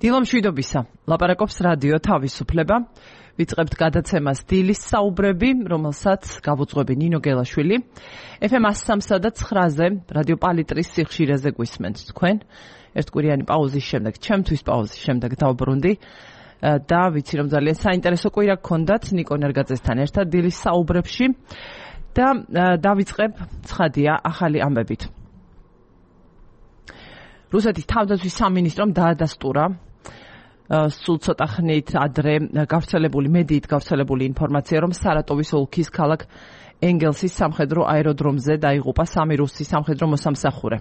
დილომშვიდობისა, ლაპარაკობს რადიო თავისუფლება. ვიწყებთ გადაცემას დილის საუბრები, რომელსაც გავუძღვები ნინო გელაშვილი. FM 103.9-ზე რადიო პალიტრის სიხშირეზე გვისმენთ თქვენ. ერთკვირიანი პაუზის შემდეგ, ჩემთვის პაუზის შემდეგ დავბრუნდი და ვიცი რომ ძალიან საინტერესო კვირა გქონდათ ნიკო ნერგაძესთან ერთად დილის საუბრებში და დავიწყებ ცხადია ახალი ამბებით. რუსეთის თავდაცვის სამინისტრომ დაადასტურა სულ ცოტა ხნით ადრე მედიით გავრცელებული ინფორმაცია, რომ სარატოვის ოლქის ქალაქ ენგელსის სამხედრო აეროდრომზე დაიღუპა 3 რუსი სამხედრო მოსამსახურე.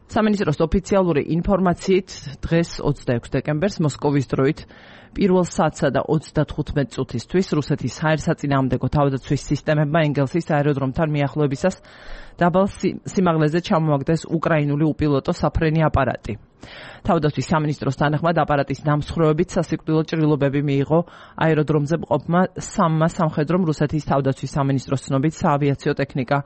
სამინისტროს ოფიციალური ინფორმაციით დღეს 26 დეკემბერს მოსკოვის დროით 1 საათსა და 35 წუთისთვის რუსეთის საერთაშორისო თავდაცვის სისტემებმა ენგელსის აეროდრომთან მიახლოებისას დაბალ სიმაღლეზე ჩამოაგდეს უკრაინული უპილოტო საფრენი აპარატი. თავდაცვის სამინისტროს თანახმად აპარატის დამსხვრევებით სასიკვდილო ჭრილობები მიიღო აეროდრომზე მყოფმა 3 სამხედრომ. რუსეთის თავდაცვის სამინისტროს ცნობით საავიაციო ტექნიკა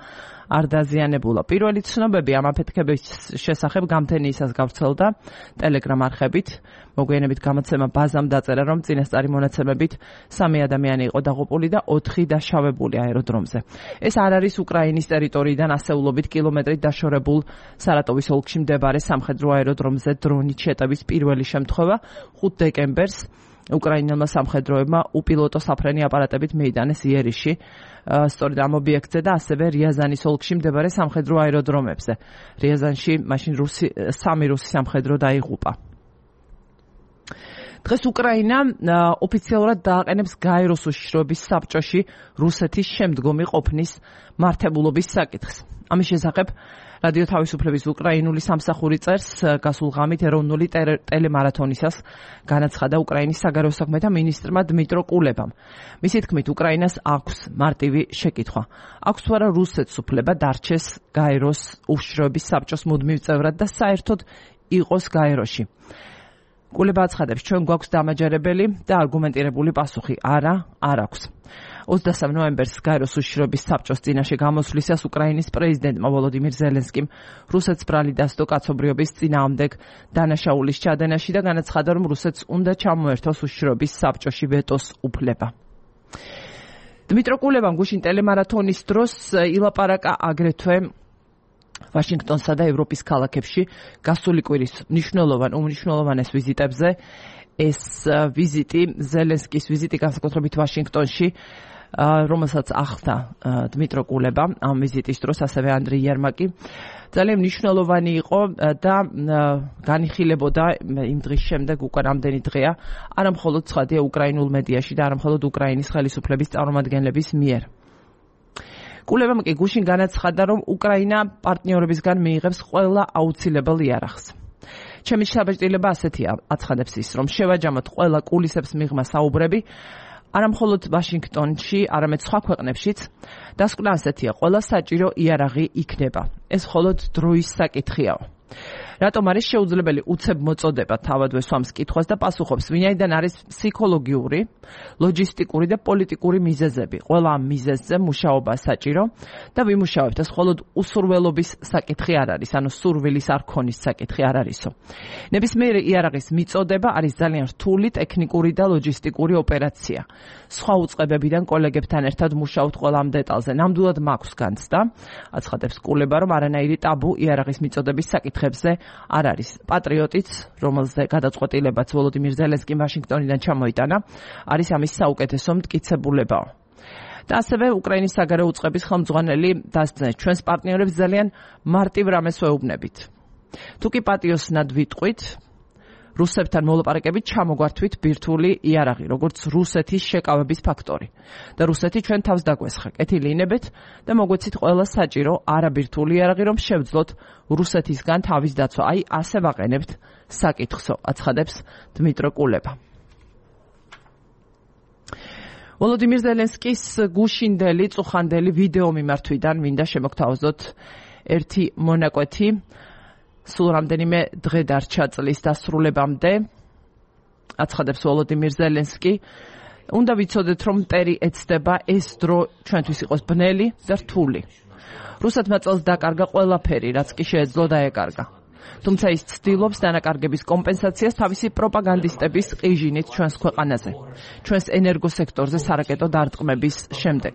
არ დაზიანებულა. პირველი ცნობები ამ აფეთქების შესახებ გამთენიისას გავრცელდა ტელეგრამ არხებით. მოგვიანებით გამოცემა ბაზამ დაწერა, რომ წინასწარი მონაცემებით 3 ადამიანი იყო დაღუპული და 4 დაშავებული აეროდრომზე. ეს არ არის უკრაინის ტერიტორიიდან ასეულობით კილომეტრით დაშორებულ სარატოვის ოლქში მდებარე სამხედრო აეროდრომზე დრონით შეტევის პირველი შემთხვევა. 5 დეკემბერს უკრაინელმა სამხედროებმა უპილოტო საფრენი აპარატებით მიიტანეს იერიში სწორედ ამ ობიექტზე და ასევე რიაზანის ოლქში მდებარე სამხედრო აეროდრომებზე. რიაზანში მაშინ 3 რუსი სამხედრო დაიღუპა. დღეს უკრაინა ოფიციალურად დააყენებს გაეროს უშიშროების საბჭოში რუსეთის შემდგომი ყოფნის მართებულობის საკითხს. ამის შესახებ რადიო თავისუფლების უკრაინული სამსახური წერს გასულ ღამით ეროვნული ტელემარათონისას განაცხადა უკრაინის საგარეო საქმეთა მინისტრმა დმიტრო კულებამ. მისი თქმით, უკრაინას აქვს მარტივი შეკითხვა. აქვს თუ არა რუსეთს უფლება დარჩეს გაეროს უშიშროების საბჭოს მუდმივ წევრად და საერთოდ იყოს გაეროში. კულება აცხადებს, ჩვენ გვაქვს დამაჯერებელი და არგუმენტირებული პასუხი. არა, არ აქვს. 23 ნოემბერს გაეროს უშიშროების საბჭოს წინაშე გამოსვლისას უკრაინის პრეზიდენტმა ვოლოდიმირ ზელენსკიმ რუსეთს ბრალი დასდო კაცობრიობის წინააღმდეგ დანაშაულის ჩადენაში და განაცხადა, რომ რუსეთს უნდა ჩამოერთოს უშიშროების საბჭოში ვეტოს უფლება. დმიტრო კულებამ გუშინ ტელემარათონის დროს ილაპარაკა აგრეთვე ვაშინგტონსა და ევროპის ქალაქებში გასული კვირის უმნიშვნელოვანეს ვიზიტებზე. ეს ვიზიტი, ზელენსკის ვიზიტი განსაკუთრებით ვაშინგტონში, რომელსაც ახლდა დმიტრო კულება ამ ვიზიტის დროს, ასევე ანდრი იერმაკი, ძალიან მნიშვნელოვანი იყო და განიხილებოდა იმ დღის შემდეგ, უკვე რამდენი დღეა, არა მხოლოდ ცხადია უკრაინულ მედიაში და არა მხოლოდ უკრაინის ხელისუფლების წარმომადგენლების მიერ. კულებამ კი გუშინ განაცხადა, რომ უკრაინა პარტნიორებისგან მიიღებს ყველა აუცილებელ იარაღს. ჩემი შთაბეჭდილება ასეთია, აცხადებს ის, რომ შევაჯამოთ ყველა კულისებს მიღმა საუბრები, არა მხოლოდ ვაშინგტონში, არამედ სხვა ქვეყნებშიც. დასკვნა ასეთია, ყველა საჭირო იარაღი იქნება. ეს მხოლოდ დროის საკითხიაო. რატომ არის შეუძლებელი უცებ მოწოდება თავადვე სვამს კითხვას და პასუხობს, ვინაიდან არის ფსიქოლოგიური, ლოჯისტიკური და პოლიტიკური მიზეზები. ყველა ამ მიზეზზე მუშაობა საჭირო და ვიმუშავებთ. ეს მხოლოდ უსურველობის საკითხი არ არის, ანუ სურვილის არ ქონის საკითხი არ არისო. ნებისმიერი იარაღის მიწოდება არის ძალიან რთული ტექნიკური და ლოჯისტიკური ოპერაცია. სხვა უწყებებიდან კოლეგებთან ერთად მუშაობთ ყველა ამ დეტალზე. ნამდვილად მაქვს განცდა, აცხადებს კულება, რომ არანაირი ტაბუ იარაღის მიწოდების საკითხებზე არ არის. პატრიოტიც, რომელზე გადაწყვეტილებაც ვოლოდიმირ ზელენსკიმ ვაშინგტონიდან ჩამოიტანა, არის ამის საუკეთესო მტკიცებულებაო. და ასევე უკრაინის საგარეო უწყების ხელმძღვანელი დასძნეს, ჩვენს პარტნიორებს ძალიან მარტივ რამეს ვეუბნებით. თუ კი პატიოსნად ვიტყვით, რუსებთან მოლაპარაკებით ჩამოგვართვით ბირთვული იარაღი, როგორც რუსეთის შეკავების ფაქტორი. და რუსეთი ჩვენ თავს დაგვესხა. კეთილი ინებეთ და მოგვეცით ყველა საჭირო არაბირთვული იარაღი, რომ შევძლოთ რუსეთისგან თავის დაცვა. აი, ასე ვაყენებთ საკითხსო, აცხადებს დმიტრო კულება. ვოლოდიმირ ზელენსკის გუშინდელი, წუხანდელი ვიდეო მიმართვიდან მინდა შემოგთავაზოთ ერთი მონაკვეთი. სულ რამდენიმე დღე დარჩა წლის დასრულებამდე, აცხადებს ვოლოდიმირ ზელენსკი. უნდა ვიცოდეთ, რომ მტერი ეცდება ეს დრო ჩვენთვის იყოს ბნელი და რთული. რუსეთმა წელს დაკარგა ყველაფერი, რაც კი შეეძლო დაეკარგა. თუმცა ის ცდილობს დანაკარგების კომპენსაციას თავისი პროპაგანდისტების ყიჟინით ჩვენს ქვეყანაზე, ჩვენს ენერგოსექტორზე სარაკეტო დარტყმების შემდეგ.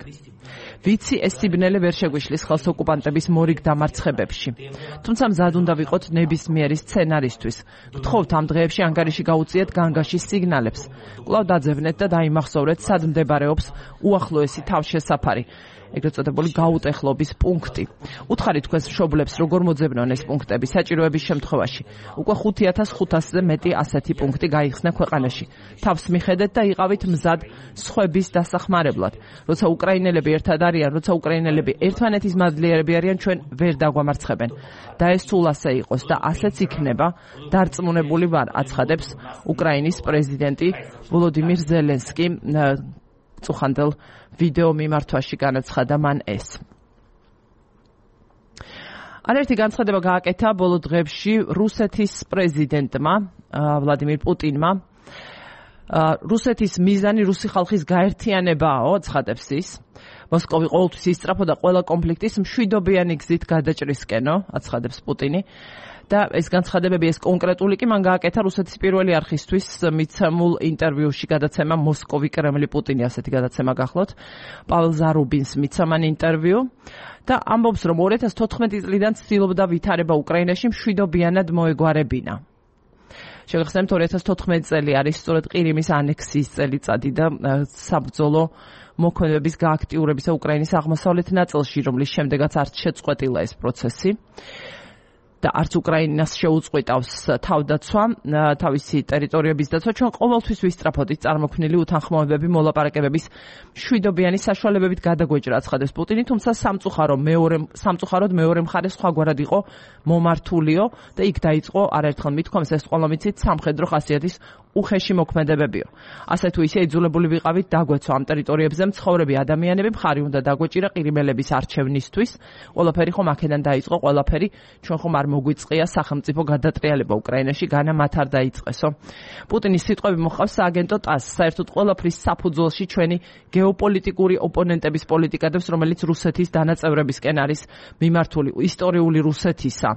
ვიცი, ეს სიბნელე ვერ შეგვიშლის ხელს ოკუპანტების მორიგ დამარცხებებში. თუმცა მზად უნდა ვიყოთ ნებისმიერი სცენარისთვის. გთხოვთ ამ დღეებში ანგარიში გაუწიეთ განგაშის სიგნალებს. კვლავ დაძევნეთ და დაიმახსოვრეთ, სად მდებარეობს უახლოესი თავშესაფარი. ეგრეთ წოდებული გაუტეხლობის პუნქტი. უთხარით თქვენს მშობლებს როგორ მოძებნონ ეს პუნქტები საჭიროების შემთხვევაში. უკვე 5500-ზე მეტი ასეთი პუნქტი გაიხსნა ქვეყანაში. თავს მიხედეთ და იყავით მზად სხვების დასახმარებლად. როცა უკრაინელები ერთად არიან, როცა უკრაინელები ერთმანეთის მადლიერები არიან, ჩვენ ვერ დაგვამარცხებენ. და ეს სულ ასე იყოს და ასეც იქნება, დარწმუნებული ვარ, აცხადებს უკრაინის პრეზიდენტი ვოლოდიმირ ზელენსკი. წუხანდელ ვიდეო მიმართვაში განაცხადა მან ეს. არაერთი განცხადება გააკეთა ბოლო დღეებში რუსეთის პრეზიდენტმა ვლადიმირ პუტინმა. რუსეთის მიზანი რუსი ხალხის გაერთიანებაა, ცხადებს ის. მოსკოვი ყოველთვის ისწრაფოდა ყველა კონფლიქტის მშვიდობიანი გზით გადაჭრისკენო, აცხადებს პუტინი. და ეს განცხადებები, ეს კონკრეტული კი მან გააკეთა რუსეთის პირველი არხისთვის მიცემულ ინტერვიუში გადაცემა მოსკოვი კრემლი პუტინი, ასეთი გადაცემა გახლოთ. პაվել ზარუბინს მიცა მან ინტერვიუ და ამბობს, რომ 2014 წლიდან ცდილობდა ვითარება უკრაინაში მშვიდობიანად მოეგვარებინა. შეგახსენებთ 2014 წელი არის სწორედ ყირიმის ანექსიის წელიწადი და საბრძოლო მოქმედების გააქტიურებისა უკრაინის აღმოსავლეთ ნაწილში, რომლის შემდეგაც არც შეწყვეტილა ეს პროცესი. და არც უკრაინას შეუწყვეტავს თავდაცვა, თავისი ტერიტორიების დაცვა. ჩვენ ყოველთვის ვისწრაფოდით წარმოქმნილი უთანხმოებები მოლაპარაკებების მშვიდობიანი საშუალებებით გადაგვეჭრა, აცხადებს პუტინი, თუმცა სამწუხაროდ მეორე მხარე სხვაგვარად იყო მომართულიო და იქ დაიწყო არაერთხელ მithქვამს ეს ყველა მიცით სამხედრო ხასიათის უხეში მოქმედებებიო. ასე თუ ისე იძულებული ვიყავით დაგვეცვა ამ ტერიტორიებზე მცხოვრები ადამიანები, მხარი უნდა დაგვეჭირა ყირიმელების არჩევნისთვის. ყველაფერი ხომ აქედან დაიწყო, ყველაფერი ჩვენ ხომ არ მოგვიწყია სახელმწიფო გადატრიალება უკრაინაში, განა მათ არ დაიწყესო. პუტინის სიტყვები მოჰყავს სააგენტო ტასს, საერთოდ ყველაფრის საფუძველში ჩვენი გეოპოლიტიკური ოპონენტების პოლიტიკა დევს, რომელიც რუსეთის დანაწევრებისკენ არის მიმართული, ისტორიული რუსეთისა.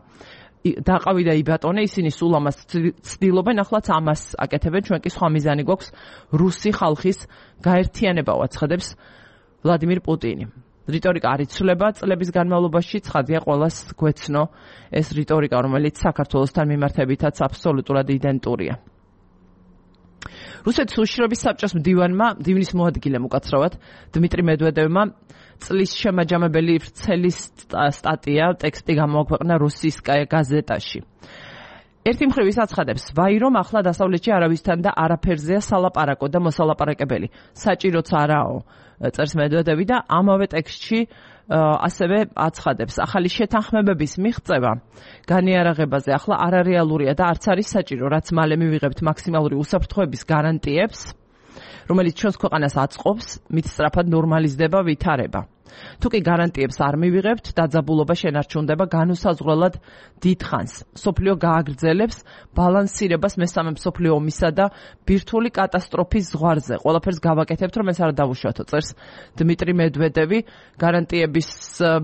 დაყავი და იბატონე, ისინი სულ ამას ცდილობენ, ახლაც ამას აკეთებენ, ჩვენ კი სხვა მიზანი გვაქვს რუსი ხალხის გაერთიანება, აცხადებს ვლადიმირ პუტინი. რიტორიკა არ იცვლება, წლების განმავლობაში ცხადია ყველას გვეცნო ეს რიტორიკა, რომელიც საქართველოსთან მიმართებითაც აბსოლუტურად იდენტურია. რუსეთის უშიშროების საბჭოს მდივანმა, მდივნის მოადგილემ უკაცრავად, დმიტრი მედვედევმა წლის შემაჯამებელი ვრცელი სტატია, ტექსტი გამოაქვეყნა რუსისკაია გაზეტაში. ერთი მხრივ ის აცხადებს, ვაი რომ ახლა დასავლეთში არავისთან და არაფერზეა სალაპარაკო და მოსალაპარაკებელი. საჭიროც არაო, წერს მედვედევი და ამავე ტექსტში ასევე აცხადებს, ახალი შეთანხმებების მიღწევა განიარაღებაზე ახლა არარეალურია და არც არის საჭირო, რაც მალე მივიღებთ მაქსიმალური უსაფრთხოების გარანტიებს, რომელიც ჩვენს ქვეყანას აწყობს, მით სწრაფად ნორმალიზდება ვითარება. თუ კი გარანტიებს არ მივიღებთ, დაძაბულობა შენარჩუნდება განუსაზღვრელად დიდ ხანს. მსოფლიო გააგრძელებს ბალანსირებას მესამე მსოფლიო ომისა და ბირთვული კატასტროფის ზღვარზე. ყველაფერს გავაკეთებთ, რომ ეს არ დავუშვათო, წერს დმიტრი მედვედევი. გარანტიების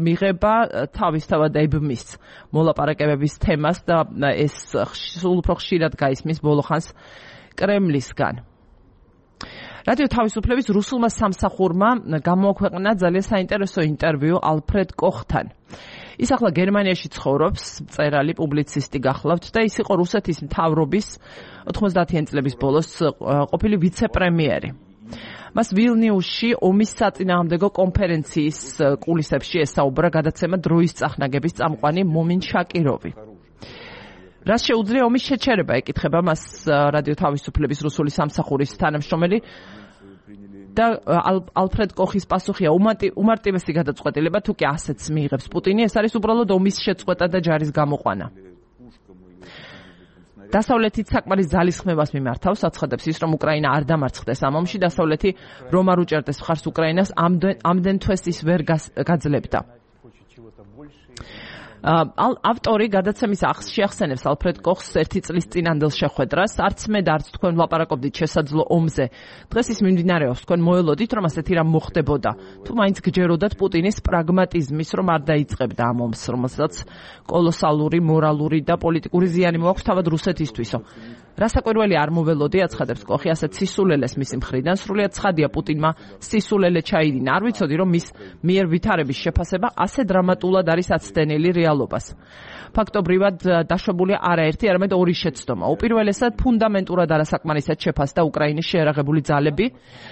მიღება თავისთავად ებმის მოლაპარაკებების თემას და ეს სულ უფრო ხშირად გაისმის ბოლო ხანს კრემლისგან. რადიო თავისუფლების რუსულმა სამსახურმა გამოაქვეყნა ძალიან საინტერესო ინტერვიუ ალფრედ კოხთან. ის ახლა გერმანიაში ცხოვრობს, მწერალი, პუბლიცისტი გახლავთ და ის იყო რუსეთის მთავრობის 90-იან წლების ბოლოს ყოფილი ვიცე-პრემიერი. მას ვილნიუსში ომის საწინააღმდეგო კონფერენციის კულისებში ესაუბრა გადაცემა დროის წახნაგების წამყვანი მომინ შაკიროვი. რას შეუძლია ომის შეჩერება, ეკითხება მას რადიო თავისუფლების რუსული სამსახურის თანამშრომელი და ალფრედ კოხის პასუხია უმარტივესი გადაწყვეტილება, თუ კი ასეც მიიღებს პუტინი, ეს არის უბრალოდ ომის შეწყვეტა და ჯარის გამოყვანა. დასავლეთით საკმარის ძალისხმევას მიმართავს, აცხადებს ის, რომ უკრაინა არ დამარცხდეს ამ ომში, დასავლეთი რომ არ უჭერდეს მხარს უკრაინას, ამდენ თვეს ის ვერ გაძლებდა. ავტორი გადაცემის შეახსენებს ალფრედ კოხს ერთი წლის წინანდელ შეხვედრას. არც მე და არც თქვენ ვლაპარაკობდით შესაძლო ომზე. დღეს ის მიმდინარეობს, თქვენ მოელოდით, რომ ასეთი რამ მოხდებოდა. თუ მაინც გჯეროდათ პუტინის პრაგმატიზმის, რომ არ დაიწყებდა ამ ომს, რომელსაც კოლოსალური მორალური და პოლიტიკური ზიანი მოაქვს თავად რუსეთისთვისო. რასაკვირველი არ მოველოდი, აცხადებს კოხი, ასეთ სისულელეს მისი მხრიდან. სრულიად ცხადია პუტინმა სისულელე ჩაიდინა. არ ვიცოდი, რომ მის მიერ ვითარების შეფასება ასე დრამატულად არის აცდენილი რეალობას. ფაქტობრივად დაშვებულია არაერთი, არამედ ორი შეცდომა. უპირველესად ფუნდამენტურად არასაკმარისად შეფასდა უკრაინის შეერაღებული ძალები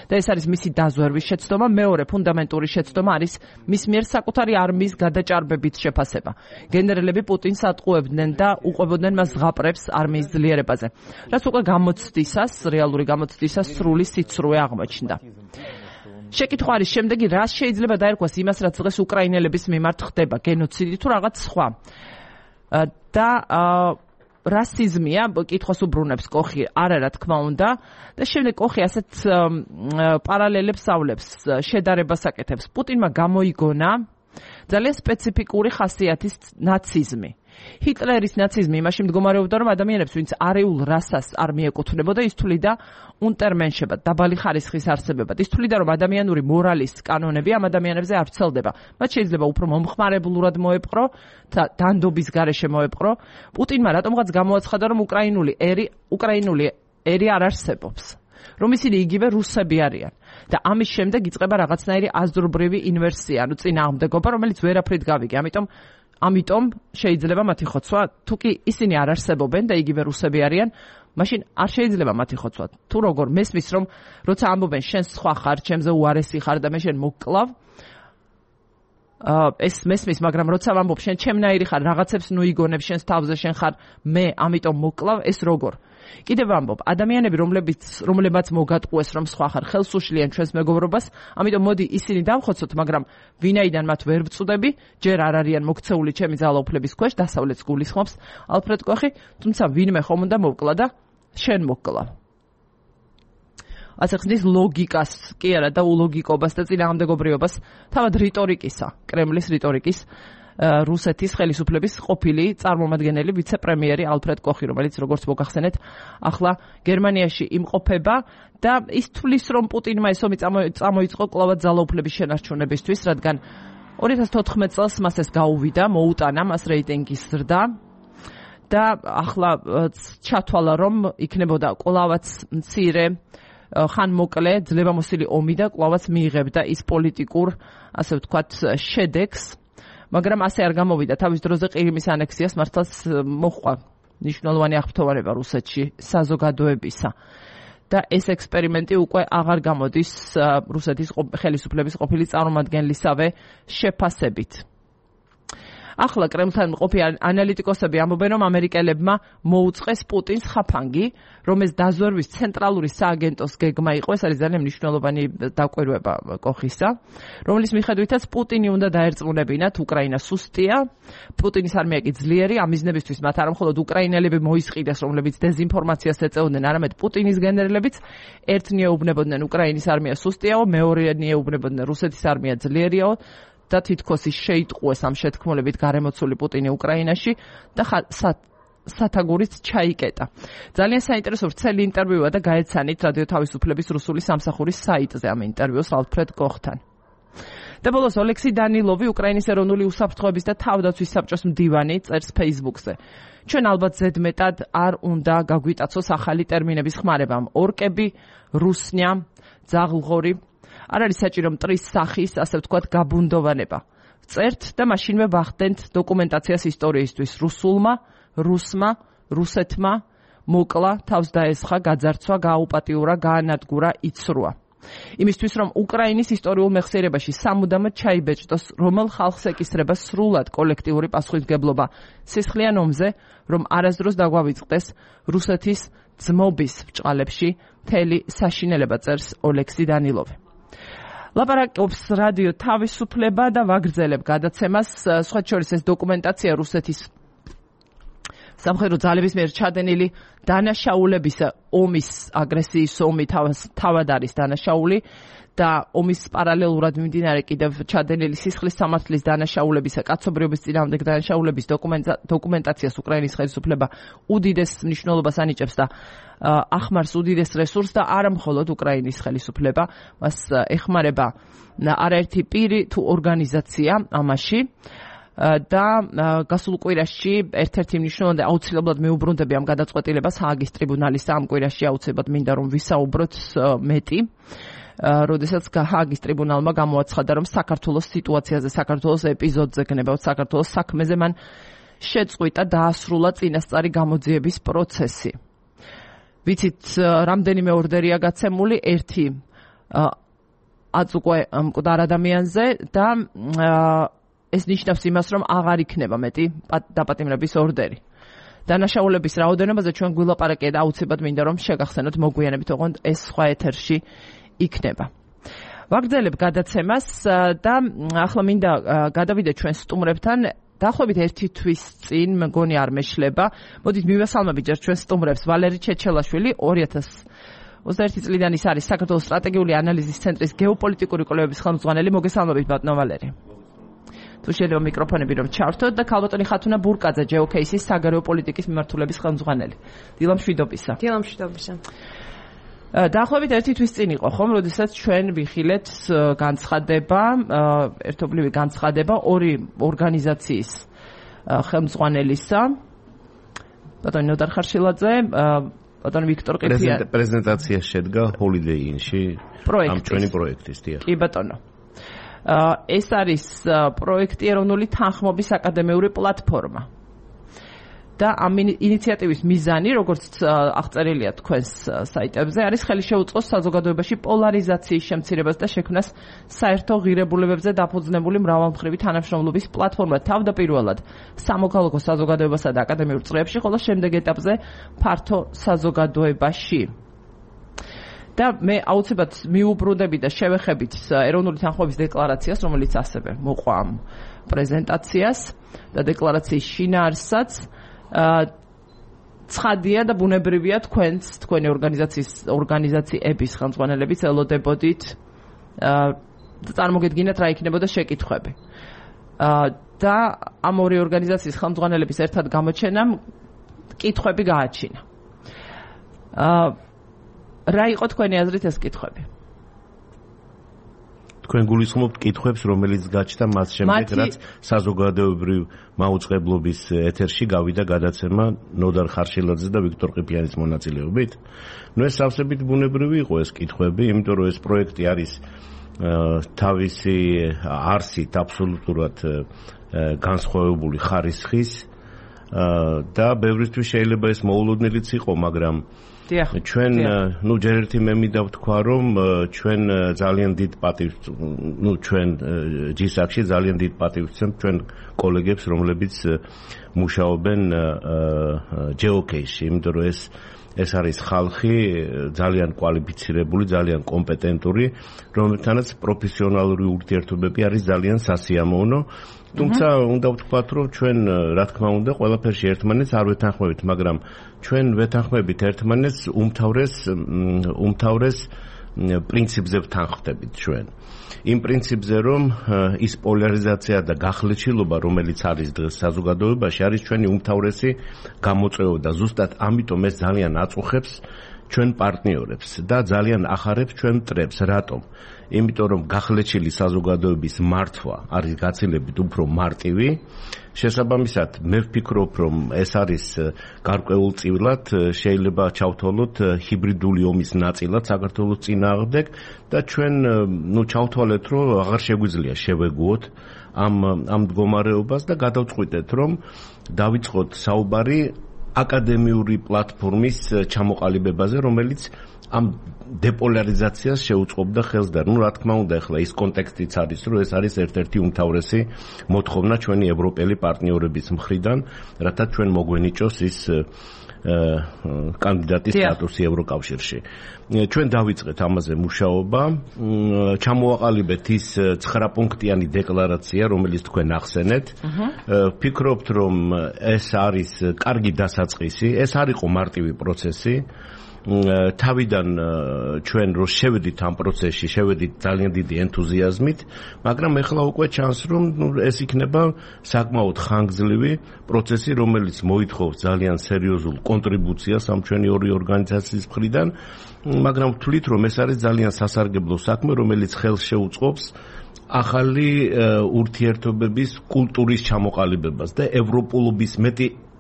და ეს არის მისი დაზვერვის შეცდომა. მეორე ფუნდამენტური შეცდომა არის მის მიერ საკუთარი არმიის გადაჭარბებით შეფასება. გენერლები პუტინს ატყუებდნენ და უყვებოდნენ მას ზღაპრებს არმიის ძლიერებაზე. რაც უკვე გამოცდისას, რეალური გამოცდისას სრული სიცრუე აღმოჩნდა. შეკითხვა არის შემდეგი, რას შეიძლება დაერქვას იმას, რაც დღეს უკრაინელების მიმართ ხდება, გენოციდი თუ რაღაც სხვა. და რასიზმია, კითხვას უბრუნებს კოხი, არა რა თქმა უნდა, და შემდეგ კოხი ასეთ პარალელებსავლებს, შედარებას აკეთებს. პუტინმა გამოიგონა ძალიან სპეციფიკური ხასიათის ნაციზმი. ჰიტლერის ნაციზმი იმაში მდგომარეობდა, რომ ადამიანებს, ვინც არეულ რასას არ მიეკუთვნებოდა, ის თვლიდა უნტერმენშებად, დაბალი ხარისხის არსებებად. ის თვლიდა, რომ ადამიანური მორალის კანონები ამ ადამიანებზე არ ვრცელდება. მათ შეიძლება უფრო მომხმარებლურად მოეპყრო, დანდობის გარეშე მოეპყრო. პუტინმა რატომღაც გამოაცხადა, რომ უკრაინული ერი არ არსებობს. რომ ისინი იგივე რუსები არიან. და ამის შემდეგ იწყება რაღაცნაირი აზრობრივი ინვერსია, ანუ წინააღმდეგობა, რომელიც ვერაფრით გავიგე. ამიტომ შეიძლება მათი ხოცვა, თუ კი ისინი არ არსებობენ და იგივე რუსები არიან, მაშინ არ შეიძლება მათი ხოცვა. თუ როგორ მესმის, რომ როცა ამბობენ შენ სხვა ხარ, ჩემზე უარესი ხარ და მე შენ მოგკლავ, ეს მესმის, მაგრამ როცა ვამბობ შენ ჩემნაირი ხარ, რაღაცებს ნუ იგონებ შენს თავზე, შენ ხარ მე, ამიტომ მოგკლავ, ეს როგორ? კიდევ ვამბობ, ადამიანები, რომლებმაც მოგატყუეს, რომ სხვა ხარ, ხელს უშლიან ჩვენს მეგობრობას, ამიტომ მოდი ისინი დავხოცოთ, მაგრამ ვინაიდან მათ ვერ ვწუდები, ჯერ არ არიან მოქცეული ჩემი ძალაუფლების ქვეშ, დასავლეთს გულისხმობს ალფრედ კოხი, თუმცა ვინმე ხომ უნდა მოვკლა და შენ მოგკლავ. ასე ხდის ლოგიკას, კი არა და ულოგიკობას და წინააღმდეგობრიობას, თავად რიტორიკისა, კრემლის რიტორიკის რუსეთის ხელისუფლების ყოფილი წარმომადგენელი ვიცე-პრემიერი ალფრედ კოხი, რომელიც როგორც მოგახსენეთ, ახლა გერმანიაში იმყოფება და ის თვლის, რომ პუტინმა ეს ომი წამოიწყო კლავად ძალაუფლების შენარჩუნებისთვის, რადგან 2014 წელს მას ეს გაუვიდა, მოუტანა მას რეიტინგის ზრდა და ახლა ჩათვალა, რომ იქნებოდა კლავაც მცირე ხანმოკლე ძლევამოსილი ომი და კლავაც მიიღებდა ის პოლიტიკურ, ასე ვთქვათ, შედეგს. მაგრამ ასე არ გამოვიდა. თავის დროზე ყირიმის ანექსიას მართლაც მოჰყვა მნიშვნელოვანი აღფრთოვანება რუსეთში საზოგადოებისა. და ეს ექსპერიმენტი უკვე აღარ გამოდის რუსეთის ხელისუფლების ყოფილი წარმომადგენლისავე შეფასებით. ახლა კრემლთან მყოფი ანალიტიკოსები ამბობენ, რომ ამერიკელებმა მოუწყეს პუტინს ხაფანგი, რომ ეს დაზვერვის ცენტრალური სააგენტოს გეგმა იყო. ეს არის ძალიან მნიშვნელოვანი დაკვირვება კოხისა, რომლის მიხედვითაც პუტინი უნდა დაერწმუნებინათ, უკრაინა სუსტია, პუტინის არმია კი ძლიერი, ამ მიზნებისთვის მათ არა მხოლოდ უკრაინელები მოისყიდეს, რომლებიც დეზინფორმაციას ეწეოდნენ, არამედ პუტინის გენერლებიც ერთნი ეუბნებოდნენ უკრაინის არმია სუსტიაო, მეორენი ეუბნებოდნენ რუსეთის არმია ძლიერიაო. და თითქოს ის შეიტყუეს ამ შეთქმულებით გარემოცული პუტინი უკრაინაში და სათაგურით ჩაიკეტა. ძალიან საინტერესო ვრცელი ინტერვიუა და გაეცანით რადიო თავისუფლების რუსული სამსახურის საიტზე ამ ინტერვიუს ალფრედ კოხთან. და ბოლოს ოლექსი დანილოვი, უკრაინის ეროვნული უსაფრთხოების და თავდაცვის საბჭოს მდივანი, წერს Facebook-ზე. ჩვენ ალბათ ზედმეტად არ უნდა გაგვიტაცოს ახალი ტერმინების ხმარებამ. ორკები, რუსნია, ძაღლღორი არ არის საჭირო მტრის სახის, ასე ვთქვათ, გაბუნდოვანება. წერთ და მაშინვე ვახდენთ დოკუმენტაციას ისტორიისთვის. რუსმა, რუსეთმა მოკლა, თავს დაესხა, გაძარცვა, გააუპატიურა, გაანადგურა, იცრუა. იმისთვის, რომ უკრაინის ისტორიულ მეხსიერებაში სამუდამოდ ჩაიბეჭდოს, რომელ ხალხს ეკისრება სრულად კოლექტიური პასუხისმგებლობა სისხლიან ომზე, რომ არასდროს დაგვავიწყდეს რუსეთის ძმობის ბრჭყალებში მთელი საშინელება, წერს ოლექსი დანილოვი. ლაპარაკობს რადიო თავისუფლება და ვაგრძელებ გადაცემას. სხვა შორის ეს დოკუმენტაცია რუსეთის სამხედრო ძალების მიერ ჩადენილი დანაშაულების ომის აგრესიის ომი თავად არის დანაშაული და ომის პარალელურად მიმდინარე კიდევ ჩადენილი სისხლის სამართლის დანაშაულებისა, კაცობრიობის წინააღმდეგ დანაშაულების დოკუმენტაციას უკრაინის ხელისუფლება უდიდეს მნიშვნელობას ანიჭებს და ახმარს უდიდეს რესურსს და არა მხოლოდ უკრაინის ხელისუფლება, მას ეხმარება არაერთი პირი თუ ორგანიზაცია ამაში. და გასულ კვირაში ერთ-ერთი მნიშვნელოვანი აუცილებლად მეუბრუნდები ამ გადაწყვეტილებას ჰააგის ტრიბუნალის ამ კვირაში აუცილებლად მინდა რომ ვისაუბროთ მეტი. როდესაც ჰააგის ტრიბუნალმა გამოაცხადა რომ საქართველოს სიტუაციაზე, საქართველოს ეპიზოდზე, გნებავთ საქართველოს საქმეზე მან შეწყვიტა დაასრულა წინასწარი გამოძიების პროცესი. ვიცით რამდენიმე ორდერია გაცემული, ერთი აწუყვე მკვდარ ადამიანზე და ეს ნიშნავს იმას, რომ აღარ იქნება მეტი დაპატიმრების ორდერი. დანაშაულების რაოდენობაზე ჩვენ გვილაპარაკეთ და აუცილებლად მინდა რომ შეგახსენოთ მოგვიანებით, ოღონდ ეს სხვა ეთერში იქნება. ვაგრძელებ გადაცემას და ახლა მინდა გადავიდე ჩვენ სტუმრებთან. დაახლოებით ერთი თვის წინ მგონი არ მეშლება. მოდით მივესალმებით ჯერ ჩვენ სტუმრებს. ვალერი ჩეჩელაშვილი 2021 წლიდან ის არის საქართველოს სტრატეგიული ანალიზის ცენტრის გეოპოლიტიკური კვლევების ხელმძღვანელი. მოგესალმებით ბატონო ვალერი. თუ შეიძლება მიკროფონები რომ ჩავრთოთ და ქალბატონი ხათუნა ბურკაძე ჯეოკეისის საგარეო პოლიტიკის მიმართულების ხელმძღვანელი. დილამშვიდობისა. დილამშვიდობისა. დაახლოებით ერთი თვის წინ იყო ხომ, როდესაც ჩვენ ვიხილეთ განცხადება, ერთობლივი განცხადება ორი ორგანიზაციის ხელმძღვანელისა. ბატონი ნოდარ ხარშილაძე, ბატონი ვიქტორ ყიფიანი. პრეზენტაცია შედგა Holiday Inn-ში ამ ჩვენი პროექტის. კი ბატონო. ეს არის პროექტი ეროვნული თანხმობის აკადემიური პლატფორმა. და ამ ინიციატივის მიზანი, როგორც აღწერილია თქვენს საიტებზე, არის ხელი შეუწყოს საზოგადოებაში პოლარიზაციის შემცირებას და შექმნას საერთო ღირებულებებზე დაფუძნებული მრავალმხრივი თანამშრომლობის პლატფორმა თავდაპირველად სამოქალაქო საზოგადოებასა და აკადემიურ წრეებში, ხოლო შემდეგ ეტაპზე ფართო საზოგადოებაში. და მე აუცილებლად მიუბრუნდები და შევეხებით ეროვნული თანხმობის დეკლარაციას, რომელიც ასევე მოყვა ამ პრეზენტაციას და დეკლარაციის შინაარსაც. ცხადია და ბუნებრივია თქვენი ორგანიზაციების ხელმძღვანელებით ელოდებოდით და წარმოგედგინათ რა იქნებოდა შეკითხვები. და ამ ორი ორგანიზაციის ხელმძღვანელების ერთად გამოჩენამ კითხვები გააჩინა. რა იყო თქვენი აზრით ეს კითხვები? თქვენ გულისხმობთ კითხვებს, რომელიც გაჩნდა მას შემდეგ, რაც საზოგადოებრივ მაუწყებლობის ეთერში გავიდა გადაცემა ნოდარ ხარშილაძის და ვიქტორ ყიფიანის მონაწილეობით. ეს სავსებით ბუნებრივი იყო ეს კითხვები, იმიტომ რომ ეს პროექტი არის თავისი არსით აბსოლუტურად განსხვავებული ხარისხის და ბევრისთვის შეიძლება ეს მოულოდნელიც იყო, მაგრამ ჩვენ ჯერ ერთი მე მინდა ვთქვა რომ ჩვენ ძალიან დიდ პატივს ჩვენ ჯისაკში ძალიან დიდ პატივს ვცემთ ჩვენ კოლეგებს რომლებიც მუშაობენ ჯეოკეისში, იმიტომ რომ ეს არის ხალხი ძალიან კვალიფიცირებული, ძალიან კომპეტენტური, რომელთანაც პროფესიონალური ურთიერთობები არის ძალიან სასიამოვნო. თუმცა უნდა ვთქვათ, რომ ჩვენ რა თქმა უნდა ყველაფერში ერთმანეთს არ ვეთანხმებით, მაგრამ ჩვენ ვეთანხმებით ერთმანეთს უმთავრეს პრინციპზე ვთანხმდებით ჩვენ. იმ პრინციპზე, რომ ის პოლარიზაცია და გახლეჩილობა, რომელიც არის დღეს საზოგადოებაში, არის ჩვენი უმთავრესი გამოწვევა და ზუსტად ამიტომ ეს ძალიან აწუხებს ჩვენ პარტნიორებს და ძალიან ახარებს ჩვენ მტრებს. რატომ? იმიტომ რომ გახლეჩილი საზოგადოების მართვა არის გაცილებით უფრო მარტივი. შესაბამისად, მე ვფიქრობ, რომ ეს არის გარკვეულწილად შეიძლება ჩავთვალოთ ჰიბრიდული ომის ნაწილად საქართველოს წინააღმდეგ და ჩვენ ჩავთვალეთ, რომ აღარ შეგვიძლია შევეგუოთ ამ მდგომარეობას და გადავწყვიტეთ, რომ დავიწყოთ საუბარი აკადემიური პლატფორმის ჩამოყალიბებაზე, რომელიც ამ დეპოლარიზაციას შეუწყობდა ხელს და რა თქმა უნდა ახლა ის კონტექსტიც არის, რომ ეს არის ერთ-ერთი უმთავრესი მოთხოვნა ჩვენი ევროპელი პარტნიორების მხრიდან, რათა ჩვენ მოგვენიჭოს ის კანდიდატის სტატუსი ევროკავშირში. ჩვენ დავიწყეთ ამაზე მუშაობა, ჩამოვაყალიბეთ ის 9 პუნქტიანი დეკლარაცია, რომელიც თქვენ ახსენეთ. ვფიქრობთ, რომ ეს არის კარგი დასაწყისი, ეს არ იყო მარტივი პროცესი. თავიდან ჩვენ რო შევედით ამ პროცესში, შევედით ძალიან დიდი ენთუზიაზმით, მაგრამ ეხლა უკვე ჩანს, რომ ეს იქნება საკმაოდ ხანგრძლივი პროცესი, რომელიც მოითხოვს ძალიან სერიოზულ კონტრიბუციას ამ ჩვენი ორი ორგანიზაციის მხრიდან, მაგრამ ვთვლით, რომ ეს არის ძალიან სასარგებლო საქმე, რომელიც ხელს შეუწყობს ახალი ურთიერთობების კულტურის ჩამოყალიბებას და ევროპულობის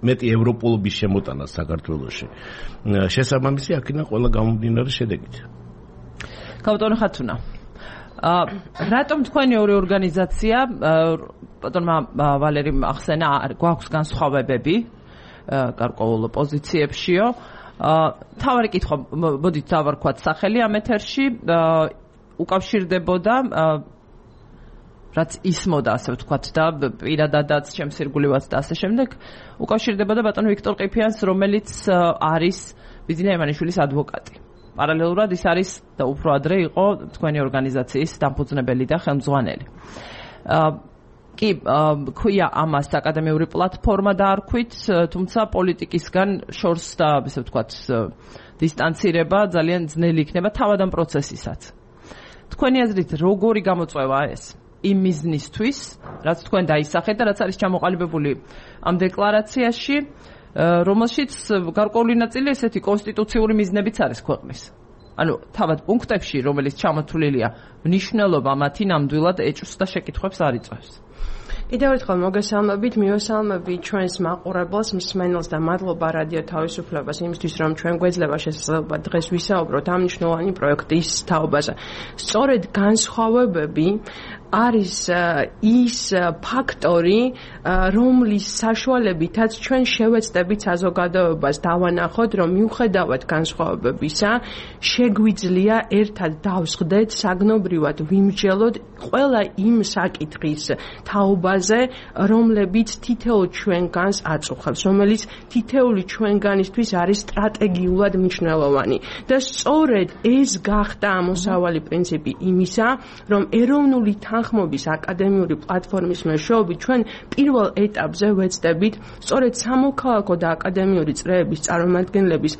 მეტი ევროპულობის შემოტანას საქართველოში. შესაბამისი აქედან ყველა გამომდინარე შედეგით. ბატონო ხათუნა, რატომ თქვენი ორი ორგანიზაცია, ბატონმა ვალერიმ ახსენა, გვაქვს განსხვავებები გარკვეულ პოზიციებშიო. თავარი კითხვა, მოდით დავარქვათ სახელი ამ ეთერში, უკავშირდებოდა რაც ისმოდა, ასე ვთქვათ და პირადადაც ჩემს ირგვლივაც და ასე შემდეგ, უკავშირდებოდა ბატონ ვიქტორ ყიფიანს, რომელიც არის ბიძინა ემანიშვილის ადვოკატი. პარალელურად ის არის და უფრო ადრე იყო თქვენი ორგანიზაციის დამფუძნებელი და ხელმძღვანელი. კი, ქვია ამას აკადემიური პლატფორმა დაარქვით, თუმცა პოლიტიკისგან შორს და ასე ვთქვათ დისტანცირება ძალიან ძნელი იქნება თავად ამ პროცესისაც. თქვენი აზრით როგორი გამოწვევა ეს? იმ მიზნისთვის, რაც თქვენ დაისახეთ და რაც არის ჩამოყალიბებული ამ დეკლარაციაში, რომელშიც გარკვეული ნაწილი ესეთი კონსტიტუციური მიზნებიც არის ქვეყნის. ანუ თავად პუნქტებში, რომელიც ჩამოთვლილია, მნიშვნელობა მათი ნამდვილად ეჭვს და შეკითხვებს არ იწვევს. კიდევ ერთხელ მოგესალმებით, მივესალმებით ჩვენს მაყურებელს, მსმენელს და მადლობა რადიო თავისუფლებას იმისთვის, რომ ჩვენ გვეძლება შესაძლებლობა დღეს ვისაუბროთ ამ მნიშვნელოვანი პროექტის თაობაზე. სწორედ განსხვავებები არის ის ფაქტორი, რომლის საშუალებითაც ჩვენ შევეცდებით საზოგადოებას დავანახოთ, რომ მიუხედავად განსხვავებებისა, შეგვიძლია ერთად დავსხდეთ, საგნობრივად ვიმსჯელოთ ყველა იმ საკითხის თაობაზე, რომლებიც თითოეულ ჩვენგანს აწუხებს, რომელიც თითოეული ჩვენგანისთვის არის სტრატეგიულად მნიშვნელოვანი. და სწორედ ეს გახდა ამოსავალი პრინციპი იმისა, რომ ეროვნული თანხმობის აკადემიური პლატფორმის მეშვეობით ჩვენ პირველ ეტაპზე ვეცდებით სწორედ სამოქალაქო და აკადემიური წრეების წარმომადგენლების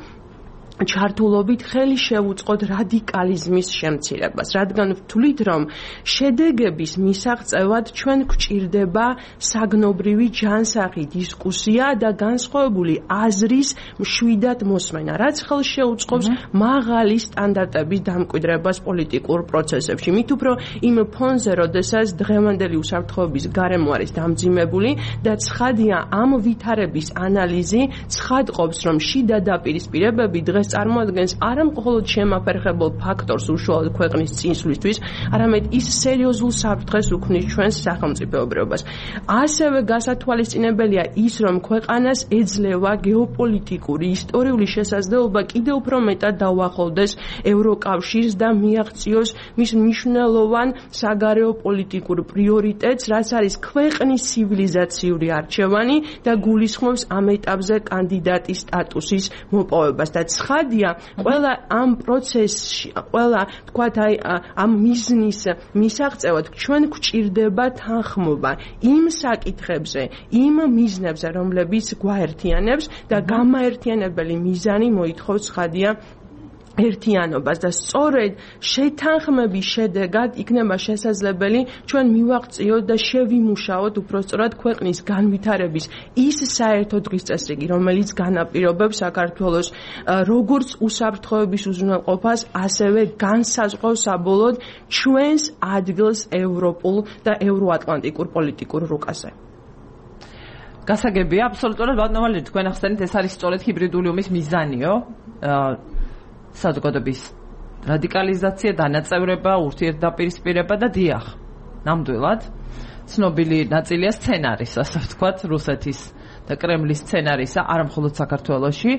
ჩართულობით ხელი შევუწყოთ რადიკალიზმის შემცირებას, რადგან ვთვლით, რომ შედეგების მისაღწევად ჩვენ გვჭირდება საგნობრივი ჯანსაღი დისკუსია და განსხვავებული აზრის მშვიდად მოსმენა, რაც ხელს შეუწყობს მაღალი სტანდარტების დამკვიდრებას პოლიტიკურ პროცესებში. მით უფრო იმ ფონზე, როდესაც დღევანდელი უსაფრთხოების გარემო არის დამძიმებული და ცხადია ამ ვითარების ანალიზი ცხადყოფს, რომ შიდა დაპირისპირებები დღეს წარმოადგენს არა მხოლოდ შემაფერხებულ ფაქტორს უშუალოდ ქვეყნის წინსვლისთვის, არამედ ის სერიოზულ საფრთხეს უქმნის ჩვენს სახელმწიფოებრიობას. ასევე გასათვალისწინებელია ის, რომ ქვეყანას ეძლევა გეოპოლიტიკური, ისტორიული შესაძლებლობა კიდევ უფრო მეტად დაუახლოვდეს ევროკავშირს და მიაღწიოს მის მნიშვნელოვან საგარეო პოლიტიკურ პრიორიტეტს, რაც არის ქვეყნის ცივილიზაციური არჩევანი და გულისხმობს ამ ეტაპზე კანდიდატის სტატუსის მოპოვებას და ცხადია, ყველა ამ პროცესში, ყველა თქვათ ამ მიზნის მისაღწევად ჩვენ გვჭირდება თანხმობა იმ საკითხებზე, იმ მიზნებზე, რომლებიც გვაერთიანებს და გამაერთიანებელი მიზანი მოითხოვს ცხადია ერთიანობას და სწორედ შეთანხმების შედეგად იქნება შესაძლებელი ჩვენ მივაღწიოთ და შევიმუშაოთ უпростоრად ქვეყნის განვითარების ის საერთო დღის წესრიგი, რომელიც განაპირობებს საქართველოს როგორც უსაფრთხოების უზრუნველყოფას, ასევე განსაზღვრავს საბოლოოდ ჩვენს ადგილს ევროპულ და ევროატლანტიკურ პოლიტიკურ რუკაზე. გასაგებია, აბსოლუტურად ბატონო ვალერი, თქვენ ახსენეთ, ეს არის სწორედ ჰიბრიდული ომის მიზანიო. საზოგადოების რადიკალიზაცია, დანაწევრება, ურთიერთდაპირისპირება და დიახ, ნამდვილად ცნობილი ნაწილია სცენარის, ასე ვთქვათ, რუსეთის და კრემლის სცენარისა, არა მხოლოდ საქართველოში.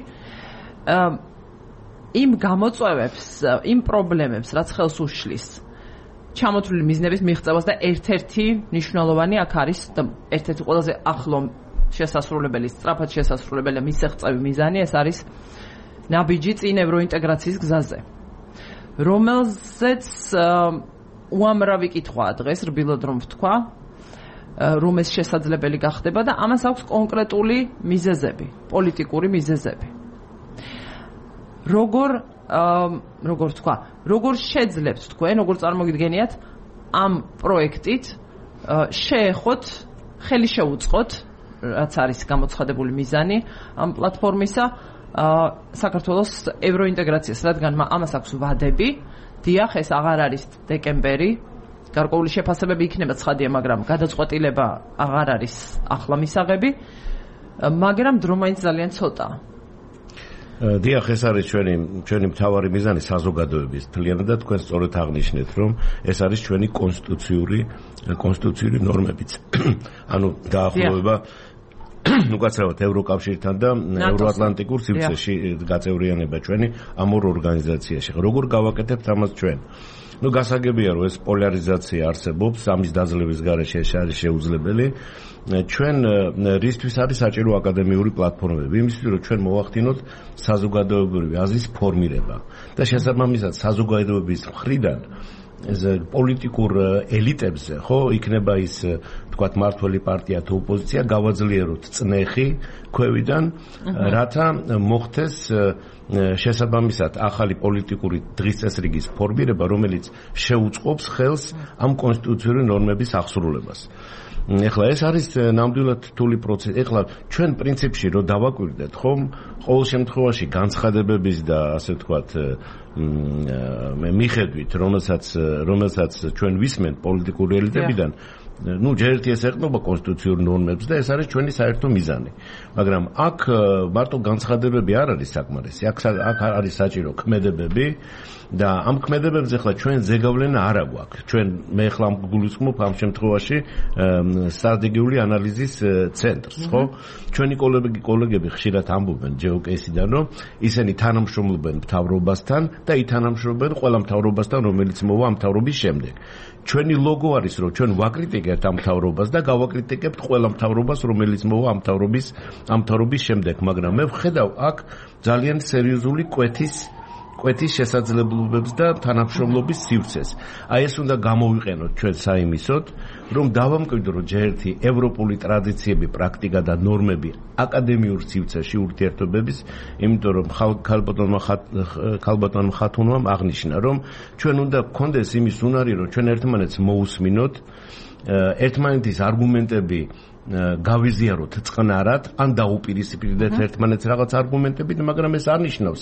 იმ გამოწვევებს, იმ პრობლემებს, რაც ხელს უშლის ჩამოთვლილი მიზნების მიღწევას და ერთ-ერთი მნიშვნელოვანი აქ არის და ერთ-ერთი ყველაზე ახლო შესასრულებელი, სწრაფად შესასრულებელი მისაღწევი მიზანი ეს არის ნაბიჯი წინ ევროინტეგრაციის გზაზე, რომელზეც უამრავი კითხვაა დღეს რბილად რომ ვთქვა, რომ ეს შესაძლებელი გახდება და ამას აქვს კონკრეტული მიზეზები, პოლიტიკური მიზეზები. როგორ თქვა, როგორ შეძლებთ თქვენ, როგორ წარმოგიდგენიათ ამ პროექტით შეეხოთ, ხელი შეუწყოთ, რაც არის გამოცხადებული მიზანი ამ პლატფორმისა, საქართველოს ევროინტეგრაციას, რადგან ამას აქვს ვადები, დიახ, ეს აღარ არის დეკემბერი, გარკვეული შეფასებები იქნება ცხადია, მაგრამ გადაწყვეტილება აღარ არის ახლა მისაღები, მაგრამ დრო მაინც ძალიან ცოტაა. დიახ, ეს არის ჩვენი მთავარი მიზანი საზოგადოების თლიანად და თქვენ სწორედ აღნიშნეთ, რომ ეს არის ჩვენი კონსტიტუციური ნორმებიც. ანუ დაახლოება უკაცრავად ევროკავშირთან და ევროატლანტიკურ სივრცეში გაწევრიანება ჩვენი ამ ორ ორგანიზაციაში. როგორ გავაკეთებთ ამას ჩვენ? გასაგებია, რომ ეს პოლარიზაცია არსებობს, ამის დაძლევის გარეშე ეს არის შეუძლებელი. ჩვენ რისთვის არის საჭირო აკადემიური პლატფორმები? იმისთვის, რომ ჩვენ მოვახდინოთ საზოგადოებრივი აზრის ფორმირება და შესაბამისად საზოგადოების მხრიდან ეს პოლიტიკურ ელიტებზე, ხო, იქნება ის თქვათ მართველი პარტია თუ ოპოზიცია, გავაძლიეროთ წნეხი ქვევიდან, რათა მოხდეს შესაბამისად ახალი პოლიტიკური დღის წესრიგის ფორმირება, რომელიც შეუწყობს ხელს ამ კონსტიტუციური ნორმების აღსრულებას. ეხლა ეს არის ნამდვილად რთული პროცესი. ეხლა ჩვენ პრინციპში რო დავაკვირდეთ, ხომ, ყოველ შემთხვევაში განცხადებების და ასე ვთქვათ მიხედვით, რომელსაც ჩვენ ვისმენთ პოლიტიკური ელიტებიდან, ჯერ ერთი ეს ეხება კონსტიტუციურ ნორმებს და ეს არის ჩვენი საერთო მიზანი. მაგრამ აქ მარტო განცხადებები არ არის საკმარისი. აქ არის საჭირო ქმედებები და ამ ქმედებებზე ახლა ჩვენ ზეგავლენა არ აქვს. მე ახლა გულისხმობ ამ შემთხვევაში სტრატეგიული ანალიზის ცენტრს, ხო? ჩვენი კოლეგები ხშირად ამბობენ ჯეოკეისიდან, რომ ისინი თანამშრომლობენ მთავრობასთან და ითანამშრომლობენ ყველა მთავრობასთან, რომელიც მოვა ამ მთავრობის შემდეგ. ჩვენი ლოგო არის, რომ ჩვენ ვაკრიტიკებთ ამ მთავრობას და გავაკრიტიკებთ ყველა მთავრობას, რომელიც მოვა ამ მთავრობის შემდეგ, მაგრამ მე ვხედავ აქ ძალიან სერიოზული კვეთის შესაძლებლობებს და თანამშრომლობის სივრცეს. აი ეს უნდა გამოვიყენოთ ჩვენ საიმისოდ, რომ დავამკვიდროთ ჯერ ერთი ევროპული ტრადიციები, პრაქტიკა და ნორმები აკადემიურ სივრცეში ურთიერთობების, იმიტომ რომ ქალბატონმა ხათუნამ აღნიშნა, რომ ჩვენ უნდა გქონდეს იმის უნარი, რომ ჩვენ ერთმანეთს მოусმინოთ, ერთმანეთის არგუმენტები გავიზიაროთ წყნარად, ან დაუპირისპირდეთ ერთმანეთს რაღაც არგუმენტებით, მაგრამ ეს არ ნიშნავს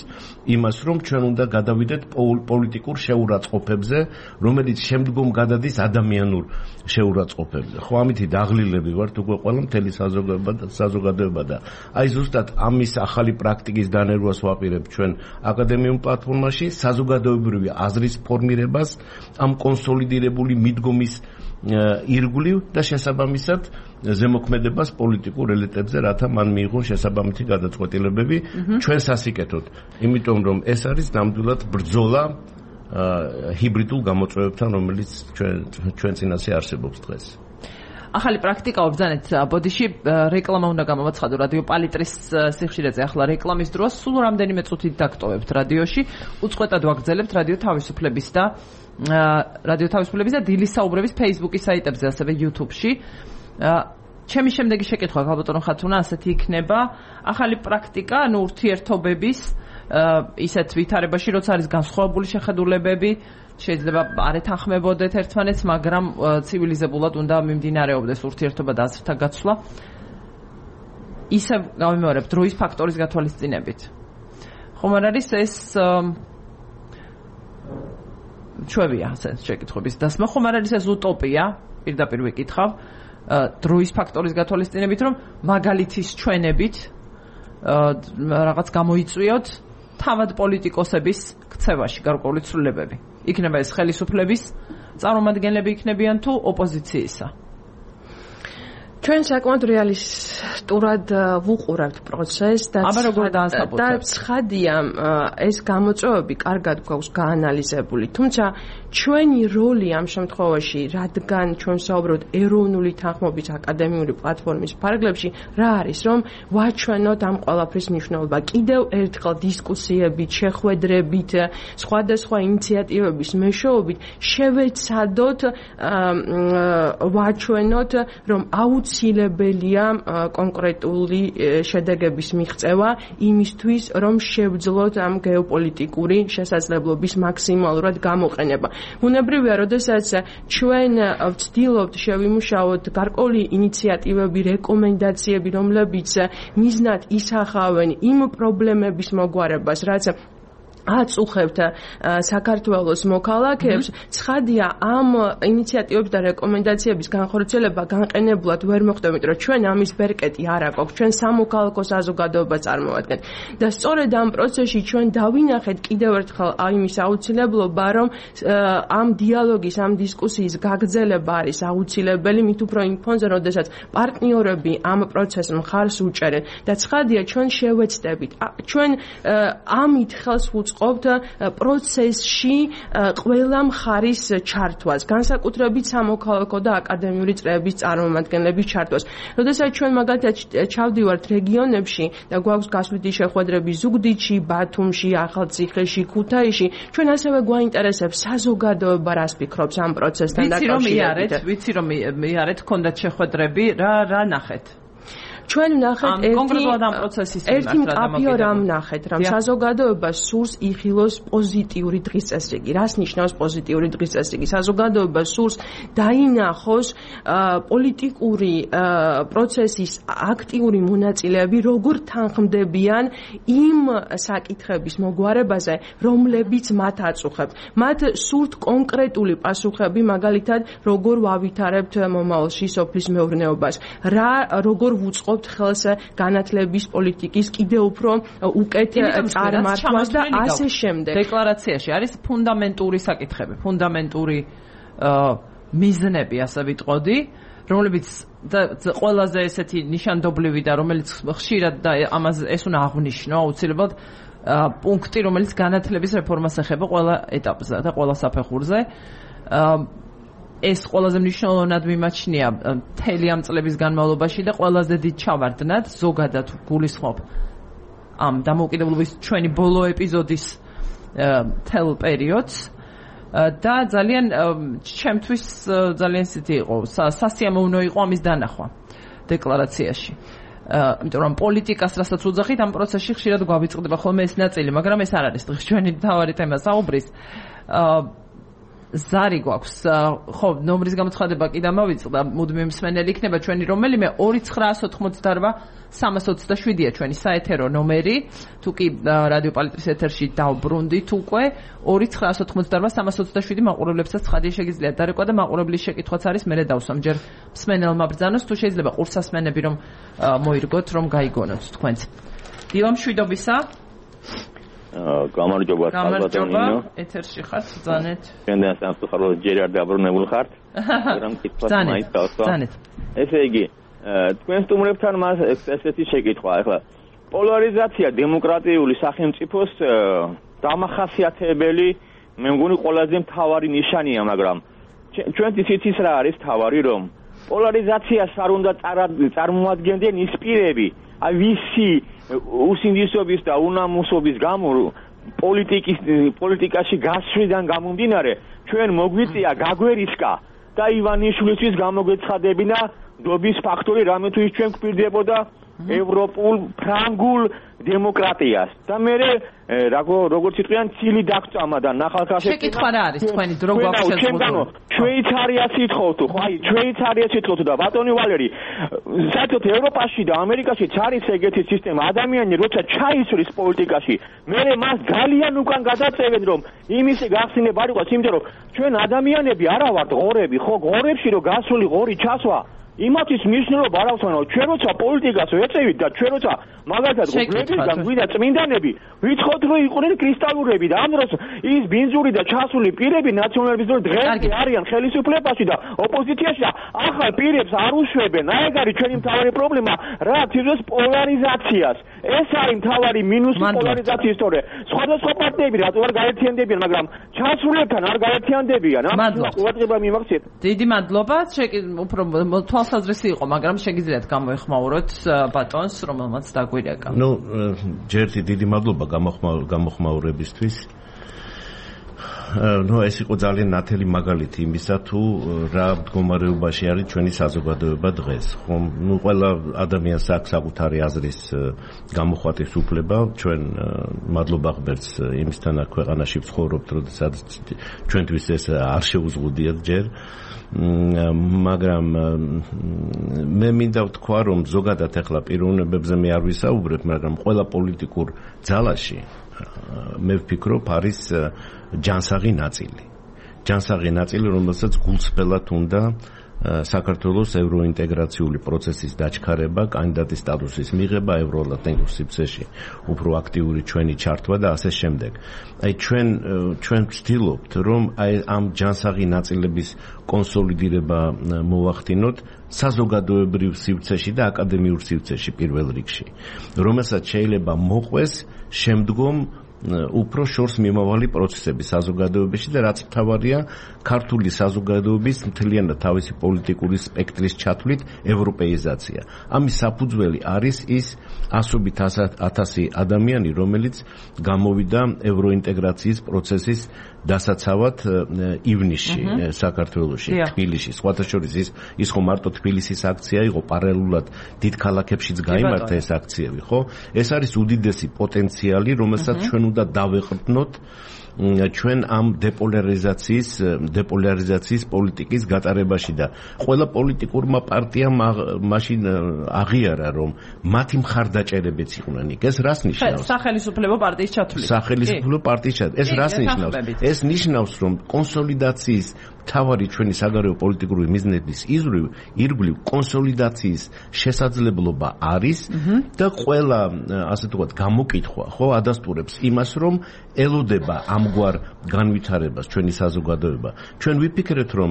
იმას, რომ ჩვენ უნდა გადავიდეთ პოლიტიკურ შეურაცხყოფებზე, რომელიც შემდგომ გადადის ადამიანურ შეურაცხყოფებზე. ხო, ამითი დაღლილები ვართ უკვე ყველა მთელი საზოგადოება და აი ზუსტად ამის ახალი პრაქტიკის დანერგვას ვაპირებთ ჩვენ აკადემიურ პლატფორმაში, საზოგადოებრივი აზრის ფორმირებას, ამ კონსოლიდირებული მიდგომის ირგვლივ და შესაბამისად ზემოქმედებას პოლიტიკურ ელიტებზე, რათა მან მიიღონ შესაბამისი გადაწყვეტილებები ჩვენ სასიკეთოდ. იმიტომ რომ ეს არის ნამდვილად ბრძოლა ჰიბრიდულ გამოწვევებთან, რომელიც ჩვენ წინასე არსებობს დღეს. ახალი პრაქტიკა ბრძანეთ ბოდიში რეკლამა უნდა გამოვაცხადო რადიო პალიტრის სიხშირეზე. ახლა რეკლამის დროს სულ რამდენიმე წუთით დაგტოვებთ რადიოში, უწყვეტად ვაგრძელებთ რადიო თავისუფლების და დილის საუბრების Facebook-ის საიტებზე, ასევე YouTube-ში. ჩემი შემდეგი შეკითხვა ქალბატონო ხათუნა ასეთი იქნება, ახალი პრაქტიკა, ურთიერთობების ისეთ ვითარებაში, როცა არის განსხვავებული შეხედულებები, შეიძლება არ ეთანხმებოდეთ ერთმანეთს, მაგრამ ცივილიზებულად უნდა მიმდინარეობდეს ურთიერთობა და აზრთა გაცვლა. ისევ გავიმეორებ დროის ფაქტორის გათვალისწინებით. ხომ არ არის ეს ჩვევია შეკითხების დასმა, ხომ არ არის ეს უტოპია, პირდაპირ ვიკითხავ, დროის ფაქტორის გათვალისწინებით, რომ მაგალითის ჩვენებით რაღაც გამოიწვიოთ თავად პოლიტიკოსების ქცევაში გარკვეული ცვლილებები. იქნება ეს ხელისუფლების წარმომადგენლები იქნებიან თუ ოპოზიციისა. ჩვენ საკმაოდ რეალისტურად ვუყურავთ პროცესს და ცხადია ეს გამოწვევები კარგად გვაქვს გაანალიზებული, თუმცა ჩვენი როლი ამ შემთხვევაში, რადგან ჩვენ საუბრობთ ეროვნული თანხმობის აკადემიური პლატფორმის ფარგლებში, რა არის, რომ ვაჩვენოთ ამ ყველაფრის მნიშვნელობა. კიდევ ერთხელ დისკუსიებით, შეხვედრებით, სხვადასხვა ინიციატივების მეშვეობით შევეცადოთ ვაჩვენოთ, რომ აუცილებელია კონკრეტული შედეგების მიღწევა იმისთვის, რომ შევძლოთ ამ გეოპოლიტიკური შესაძლებლობის მაქსიმალურად გამოყენება. ბუნებრივია, როდესაც ჩვენ ვცდილობთ შევიმუშაოთ გარკვეული ინიციატივები, რეკომენდაციები, რომლებიც მიზნად ისახავენ იმ პრობლემების მოგვარებას, რაც აწუხებთ საქართველოს მოქალაქეებს, ცხადია ამ ინიციატივების და რეკომენდაციების განხორციელება განყენებლად ვერ მოხდება, იმიტომ რომ ჩვენ ამის ბერკეტი არ აქვს, ჩვენ სამოქალაქო საზოგადოება წარმოვადგენთ და სწორედ ამ პროცესში ჩვენ დავინახეთ კიდევ ერთხელ იმის აუცილებლობა, რომ ამ დიალოგის, ამ დისკუსიის გაგრძელება არის აუცილებელი, მით უფრო იმ ფონზე, როდესაც პარტნიორები ამ პროცესს მხარს უჭერენ და ცხადია ჩვენ შევეცდებით, ჩვენ ამით ხელს ყოფთ პროცესში ყველა მხარის ჩართვას, განსაკუთრებით სამოქალაქო და აკადემიური წრეების წარმომადგენლების ჩართვას. როდესაც ჩვენ მაგალითად ჩავდივართ რეგიონებში და გვაქვს გასვლითი შეხვედრები ზუგდიდში, ბათუმში, ახალციხეში, ქუთაისში, ჩვენ ასევე გვაინტერესებს საზოგადოება რას ფიქრობს ამ პროცესთან დაკავშირებით. ვიცი რომ მიარეთ, გქონდათ შეხვედრები, რა ნახეთ? ჩვენ ვნახეთ ერთი მკაფიო რამ ვნახეთ, რომ საზოგადოება სურს იხილოს პოზიტიური დღის წესრიგი. რას ნიშნავს პოზიტიური დღის წესრიგი? საზოგადოება სურს დაინახოს პოლიტიკური პროცესის აქტიური მონაწილეები, როგორ თანხმდებიან იმ საკითხების მოგვარებაზე, რომლებიც მათ აწუხებთ. მათ სურთ კონკრეტული პასუხები, მაგალითად, როგორ ვავითარებთ მომავალში სოფლის მეურნეობას, როგორ ვუწყობთ ხელს განათლების პოლიტიკის კიდევ უფრო უკეთ წარმართვას და ასე შემდეგ. დეკლარაციაში არის ფუნდამენტური საკითხები, ფუნდამენტური მიზნები, ასე ვიტყოდი, რომლებიც ყველაზე ესეთი ნიშანდობლივი და რომელიც ხშირად და ამაზე ეს უნდა აღვნიშნო აუცილებლად პუნქტი, რომელიც განათლების რეფორმას ეხება ყველა ეტაპზე და ყველა საფეხურზე. ეს ყველაზე მნიშვნელოვნად მიმაჩნია მთელი ამ წლების განმავლობაში და ყველაზე დიდ ჩავარდნად ზოგადად გულისხმობ ამ დამოუკიდებლობის ჩვენი ბოლო ეპიზოდის თელ პერიოდს და ძალიან ჩემთვის ძალიან ისეთი იყო სასიამოვნო იყო ამის დანახვა დეკლარაციაში. იმიტომ რომ პოლიტიკას რასაც უძახით ამ პროცესში ხშირად გვავიწყდება ხოლმე ეს ნაწილი, მაგრამ ეს არ არის დღეს ჩვენი მთავარი თემა საუბრის. ზარი გვაქვს, ხო, ნომრის გამოცხადება კი დამავიწყდა, მუდმივი მსმენელი იქნება ჩვენი რომელიმე 2928-327-ია ჩვენი საეთერო ნომერი, თუ კი რადიო პალიტრის ეთერში დავბრუნდით უკვე 2928-327 მაყურებლებსაც ცხადია შეგიძლიათ დარეკვა და მაყურებლის შეკითხვაც არის, მე დავსვამ ჯერ მსმენელმა ბრძანოს, თუ შეიძლება ყურსასმენები რომ მოირგოთ, რომ გაიგონოთ თქვენც. დილა მშვიდობისა. გამარჯობა ალბათონინო ეთერში ხართ ბრძანეთ ჩვენთან სამწუხაროდ ჯერ არ დაბრუნებული ხართ მაგრამ კითხვას მაინც დავსვა ესე იგი თქვენ სტუმრებთან მას ესეთი შეკითხვა ახლა პოლარიზაცია დემოკრატიული სახელმწიფოს დამახასიათებელი მე მგონი ყველაზე მთავარი ნიშანია მაგრამ ჩვენთვის იცის რა არის მთავარი რომ პოლარიზაციას არ უნდა წარმოადგენდნენ ის პირები აი ვისი უსინდისობის და უნამუსობის გამო პოლიტიკაში გასვლიდან გამომდინარე ჩვენ მოგვიწია გაგვერისკა და ივანიშვილისთვის გამოგვეცხადებინა დობის ფაქტორი რამე თუ ის ჩვენ გვპირდებოდა ევროპულ ფრანგულ დემოკრატიას და მე როგორც იტყვიან ცილი დაგწამა და ნახალქაშექნა შეკითხვა რა არის თქვენი დრო გვაქვს შეზღუდული შვეიცარიას ითხოვთო ხო აი შვეიცარიას ითხოვთო და ბატონი ვალერი საერთოდ ევროპაში და ამერიკაშიც არის ეგეთი სისტემა ადამიანი როცა ჩაისვრის პოლიტიკაში მე მას ძალიან უკან გადაწევენ რომ იმისი გახსნილება არ იყოს იმიტომ რომ ჩვენ ადამიანები არა ვართ ღორები ხო ღორებში რომ გასული ღორი ჩასვა იმათის მნიშვნელობა არ აქვს, მაგრამ ჩვენ როცა პოლიტიკას ვეწევით და ჩვენ როცა მაგალითად გვერდიდან გვიდა წმინდანები, ვიცხოთ რომ იყვნენ კრისტალურები და ამ დროს ის ბინძური და ჩასული პირები ნაციონალიზმის დღეს არიან ხელისუფლებაში და ოპოზიციაში და ახალ პირებს არ უშვებენ. აი ეგ არის ჩვენი მთავარი პრობლემა, რა თვითონ პოლარიზაციას. ეს არის მთავარი მინუსი პოლარიზაციის თორე სხვადასხვა პარტიები რატო არ გაერთიანდებიან მაგრამ ჩასრულებთან არ გაერთიანდებიან ამ ყურადღება მიმაქციეთ დიდი მადლობა უფრო თვალსაზრისი იყო მაგრამ შეგიძლიათ გამოეხმაუროთ ბატონს რომელმაც დაგვირეკა ჯერთი დიდი მადლობა გამოხმაურებისთვის ეს იყო ძალიან ნათელი მაგალითი იმისა თუ რა მდგომარეობაში არის ჩვენი საზოგადოება დღეს ხომ ყველა ადამიანს აქვს საკუთარი აზრის გამოხატვის უფლება ჩვენ მადლობა ღმერთს იმისთან აქ ქვეყანაში ვცხოვრობთ როდესაც ჩვენთვის ეს არ შეუზღუდიათ ჯერ მაგრამ მე მინდა ვთქვა რომ ზოგადად ახლა პიროვნებებზე მე არ ვისაუბრებ მაგრამ ყველა პოლიტიკურ ძალაში მე ვფიქრობ არის ჯანსაღი ნაწილი რომელსაც გულწრფელად უნდა საქართველოს ევროინტეგრაციული პროცესის დაჩქარება კანდიდატის სტატუსის მიღება ევროატლანტიკურ სივრცეში უფრო აქტიური ჩვენი ჩართვა და ასე შემდეგ აი ჩვენ ვცდილობთ რომ აი ამ ჯანსაღი ნაწილების კონსოლიდირება მოვახდინოთ საზოგადოებრივ სივრცეში და აკადემიურ სივრცეში პირველ რიგში რომელსაც შეიძლება მოყვეს შემდგომ უფრო შორს მიმავალი პროცესები საზოგადოებაში და რაც მთავარია ქართული საზოგადოების მთლიანად თავისი პოლიტიკური სპექტრის ჩათვლით ევროპეიზაცია. ამის საფუძველი არის ის ასობით ათასი ადამიანი, რომელიც გამოვიდა ევროინტეგრაციის პროცესის დასაცავად ივნისში საქართველოში, თბილისში. სხვათა შორის ის ხო მარტო თბილისის აქცია იყო, პარალელურად დიდ ქალაქებშიც გაიმართა ეს აქციები, ხო? ეს არის უდიდესი პოტენციალი, რომელსაც ჩვენ უნდა დავეყრდნოთ ჩვენ ამ დეპოლარიზაციის პოლიტიკის გატარებაში და ყველა პოლიტიკურმა პარტიამ მაშინ აღიარა რომ მათი მხარდაჭერებიც იყვნენ იქ ეს რას ნიშნავს სახელმწიფო პარტიის ჩათვლით ეს რას ნიშნავს ეს ნიშნავს რომ კონსოლიდაციის თავარი ჩვენი საგარეო პოლიტიკური მიზნების ირგვლივ კონსოლიდაციის შესაძლებლობა არის და ყველა ასე ვთქვათ გამოკითხვა ხო ადასტურებს იმას რომ ელოდება ამგვარ განვითარებას ჩვენი საზოგადოება ჩვენ ვიფიქრეთ რომ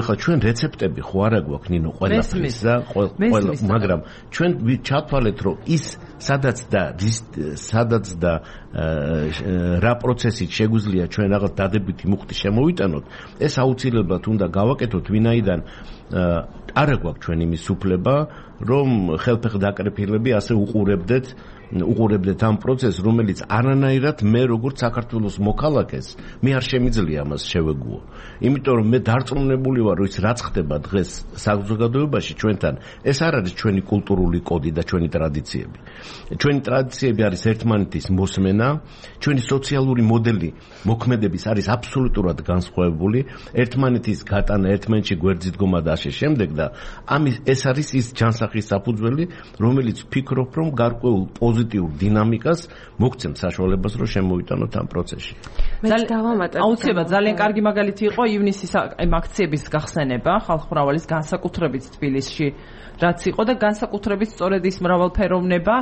ეხლა ჩვენ რეცეპტები ხო არა გვაქვს ნინო ყველაფრის და ყველა მაგრამ ჩვენ ჩავთვალეთ რომ ის სადაც და რა პროცესით შეგვიძლია ჩვენ რაღაც დადებითი მუხტი შემოვიტანოთ ეს აუცილებლად უნდა გავაკეთოთ ვინაიდან არა გვაქვს ჩვენ იმის უფლება რომ ხელფეხ დაკრეფილები ასე უყურებდეთ ამ პროცესს რომელიც არანაირად მე როგორც საქართველოს მოქალაქეს მე არ შემიძლია ამას შევეგუო იმიტომ რომ მე დარწმუნებული ვარ რომ ის რაც ხდება დღეს საზოგადოებაში ჩვენთან ეს არ არის ჩვენი კულტურული კოდი და ჩვენი ტრადიციები არის ერთმანეთის მოსმენა ჩვენი სოციალური მოდელი მოქმედების არის აბსოლუტურად განსხვავებული ერთმანეთის გატანა ერთმანეთში გვერდით დგომა და ასე შემდეგ და ეს არის ის ჯანსაღის საფუძველი რომელიც ვფიქრობ რომ გარკვეულ პოზიტიურ დინამიკას მოგცემს საშუალებას რომ შემოვიტანოთ ამ პროცესში. აუცილებლად ძალიან კარგი მაგალითი იყო ივნისის აქციების გახსენება ხალხმრავალის განსაკუთრებით თბილისში რაც იყო და განსაკუთრებით სწორედ ის მრავალფეროვნება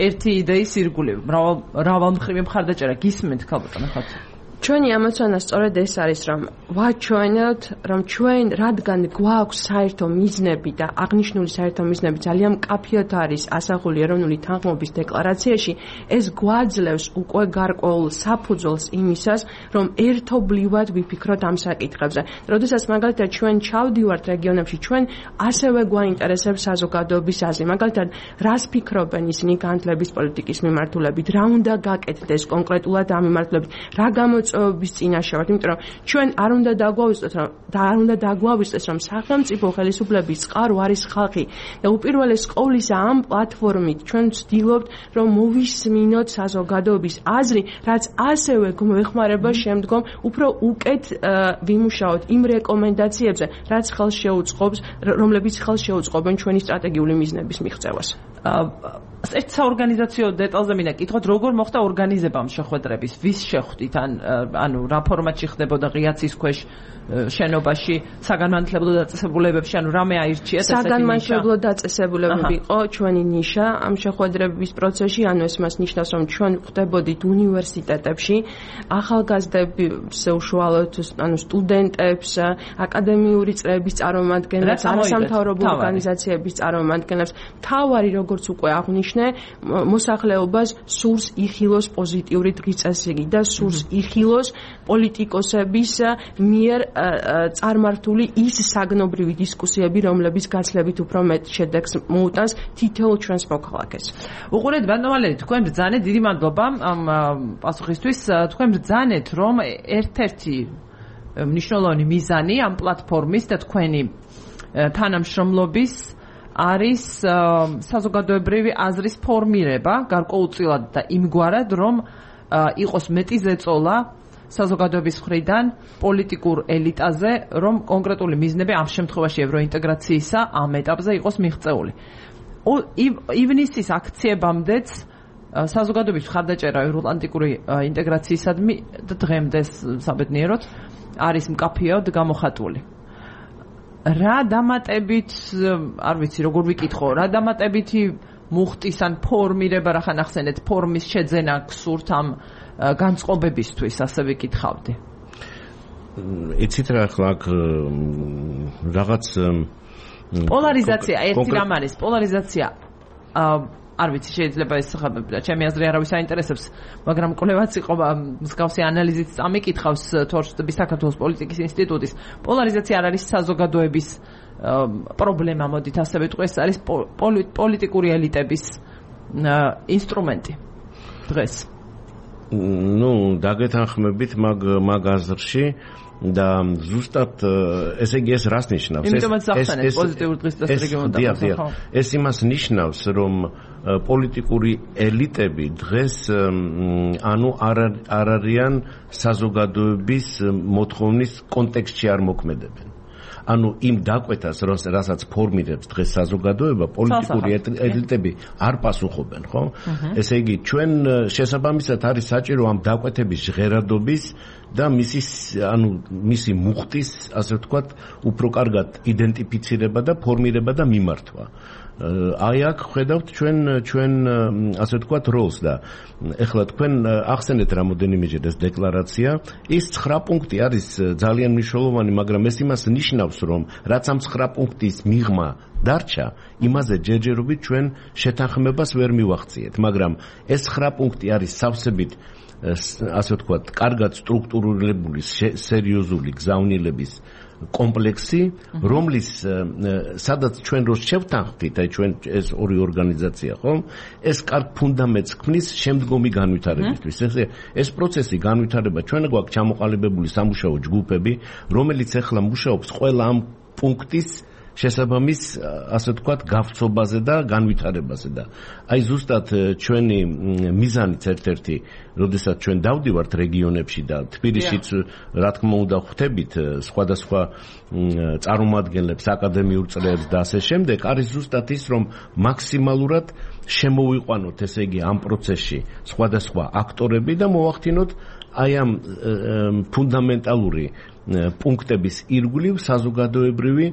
ერთი იდეის ირგვლივ მრავალმხრივი მხარდაჭერა გისმენთ ქალბატონ ხათ ჩვენი ამოცანა სწორედ ეს არის რომ ვაჩვენოთ რომ ჩვენ რადგან გვაქვს საერთო მიზნები და აღნიშნული საერთო მიზნები ძალიან მკაფიოდ არის ასახული ეროვნული თანხმობის დეკლარაციაში ეს გვაძლევს უკვე გარკვეულ საფუძველს იმისას რომ ერთობლივად ვიფიქროთ ამ საკითხებზე როდესაც მაგალითად ჩვენ ჩავდივართ რეგიონებში ჩვენ ასევე გვაინტერესებს საზოგადოების აზრი მაგალითად რას ფიქრობენ ისინი განათლების პოლიტიკის მიმართულებით რა უნდა გაკეთდეს კონკრეტულად ამ მიმართულებით რა bis წინაშე ვართ, იმიტომ რომ ჩვენ არ უნდა დაგვავიწყდეს რომ სახელმწიფო ხელისუფლების წყარო არის ხალხი და უპირველეს ყოვლისა ამ პლატფორმით ჩვენ ვცდილობთ რომ მოვისმინოთ საზოგადოების აზრი, რაც ასევე გვეხმარება შემდგომ უფრო უკეთ ვიმუშაოთ იმ რეკომენდაციებზე, რომლებიც ხელს შეუწყობენ ჩვენი სტრატეგიული მიზნების მიღწევას. ერთ საორგანიზაციო დეტალზე მინდა კითხოთ, როგორ მოხდა ორგანიზება ამ შეხვედრების, ვის შეხვდით, ანუ რა ფორმატში ხდებოდა ღიაცის ქვეშ შენობაში, საგანმანათლებლო დაწესებულებებში, ანუ რამე აირჩიეს ესეთი ნიშა? საგანმანათლებლო დაწესებულებები იყო ჩვენი ნიშა ამ შეხვედრების პროცესში, ანუ ეს მას ნიშნავს, რომ ჩვენ ხდებოდით უნივერსიტეტებში, ახალგაზრდებს უშუალოდ, ანუ სტუდენტებს, აკადემიური წრეების წარმომადგენლებს, არასამთავრობო ორგანიზაციების წარმომადგენლებს, თავარი როგორც უკვე აღვნიშნე, მოსახლეობას სურს იხილოს პოზიტიური დღიწესრიგი და სურს იხილოს პოლიტიკოსების მიერ წარმართული ის საგნობრივი დისკუსიები, რომლებიც გაცლებით უფრო მეტ შედეგს მოუტანს თითოეულ ჩვენს მოქალაქეს. უყურეთ ბატონო ვალერი, თქვენ ბრძანეთ, დიდი მადლობა ამ პასუხისთვის. თქვენ ბრძანეთ, რომ ერთ-ერთი მნიშვნელოვანი მიზანი ამ პლატფორმის და თქვენი თანამშრომლობის არის საზოგადოებრივი აზრის ფორმირება, გარკვეულწილად და იმგვარად, რომ იყოს მეტი ზეწოლა საზოგადოების მხრიდან პოლიტიკურ ელიტაზე, რომ კონკრეტული მიზნები ამ შემთხვევაში ევროინტეგრაციისა ამ ეტაპზე იყოს მიღწეული. ივნისის აქციებამდეც საზოგადოების მხარდაჭერა ევროატლანტიკური ინტეგრაციისადმი და დღემდე საბედნიეროდ არის მკაფიოდ გამოხატული. რა დამატებით, არ ვიცი როგორ ვიკითხო, რა დამატებითი მუხტის ან ფორმირება რა ხან ახსენეთ, ფორმის შეძენა გსურთ ამ განწყობებისთვის, ასე ვიკითხავდი. იცით რა ახლა აქ რაღაც პოლარიზაცია ერთი რამ არის, პოლარიზაცია არ ვიცი შეიძლება ეს ჩემი აზრი არავის აინტერესებს, მაგრამ კვლევაც იყო მსგავსი ანალიზით წამიკითხავს თორშტების საქართველოს პოლიტიკის ინსტიტუტის. პოლარიზაცია არ არის საზოგადოების პრობლემა, მოდით ასე ვიტყვი, ეს არის პოლიტიკური ელიტების ინსტრუმენტი დღეს. დაგეთანხმებით მაგ აზრში და ზუსტად ესე იგი ეს რას ნიშნავს? იმიტომაც ახსენეთ პოზიტიურ დღესდღეობრივ რეგიონებში. ეს იმას ნიშნავს, რომ პოლიტიკური ელიტები დღეს არ არიან საზოგადოების მოთხოვნის კონტექსტში არ მოქმედებენ. იმ დაკვეთას, რასაც ფორმირებს დღეს საზოგადოება, პოლიტიკური ელიტები არ პასუხობენ, ხო? ესე იგი, ჩვენ შესაბამისად არის საჭირო ამ დაკვეთების ჟღერადობის და მისი მუხტის, ასე ვთქვათ, უფრო კარგად იდენტიფიცირება და ფორმირება და მიმართვა. აი აქ ხედავთ ჩვენ ასე ვთქვათ როლს და ეხლა თქვენ ახსენეთ რამოდენიმეჯერ ეს დეკლარაცია, ის 9 პუნქტი არის ძალიან მნიშვნელოვანი, მაგრამ ეს იმას ნიშნავს, რომ რაც ამ 9 პუნქტის მიღმა დარჩა, იმაზე ჯერჯერობით ჩვენ შეთანხმებას ვერ მივახციეთ, მაგრამ ეს 9 პუნქტი არის სავსებით ასე ვთქვათ, კარგად სტრუქტურირებული, სერიოზული გზავნილების კომპლექსი, რომლის სადაც ჩვენ რო შევთანხმდით, აი ჩვენ ეს ორი ორგანიზაცია, ხო? ეს კარგ ფუნდამენტს ქმნის შემდგომი განვითარებისთვის. ეს პროცესი განვითარება ჩვენ გვაქვს ჩამოყალიბებული სამუშაო ჯგუფები, რომელიც ახლა მუშაობს ყველა ამ პუნქტის შესაბამის, ასე ვთქვათ, გავცობაზე და განვითარებაზე და აი ზუსტად ჩვენი მიზანიც ერთ-ერთი, როდესაც ჩვენ დავდივართ რეგიონებში და თბილისშიც რა თქმა უნდა ხვდებით სხვადასხვა წარმომადგენლებს, აკადემიურ წრეებს და ასე შემდეგ, არის ზუსტად ის, რომ მაქსიმალურად შემოვიყვანოთ, ესე იგი, ამ პროცესში სხვადასხვა აქტორები და მოვახდინოთ აი ამ ფუნდამენტალური პუნქტების ირგვლივ საზოგადოებრივი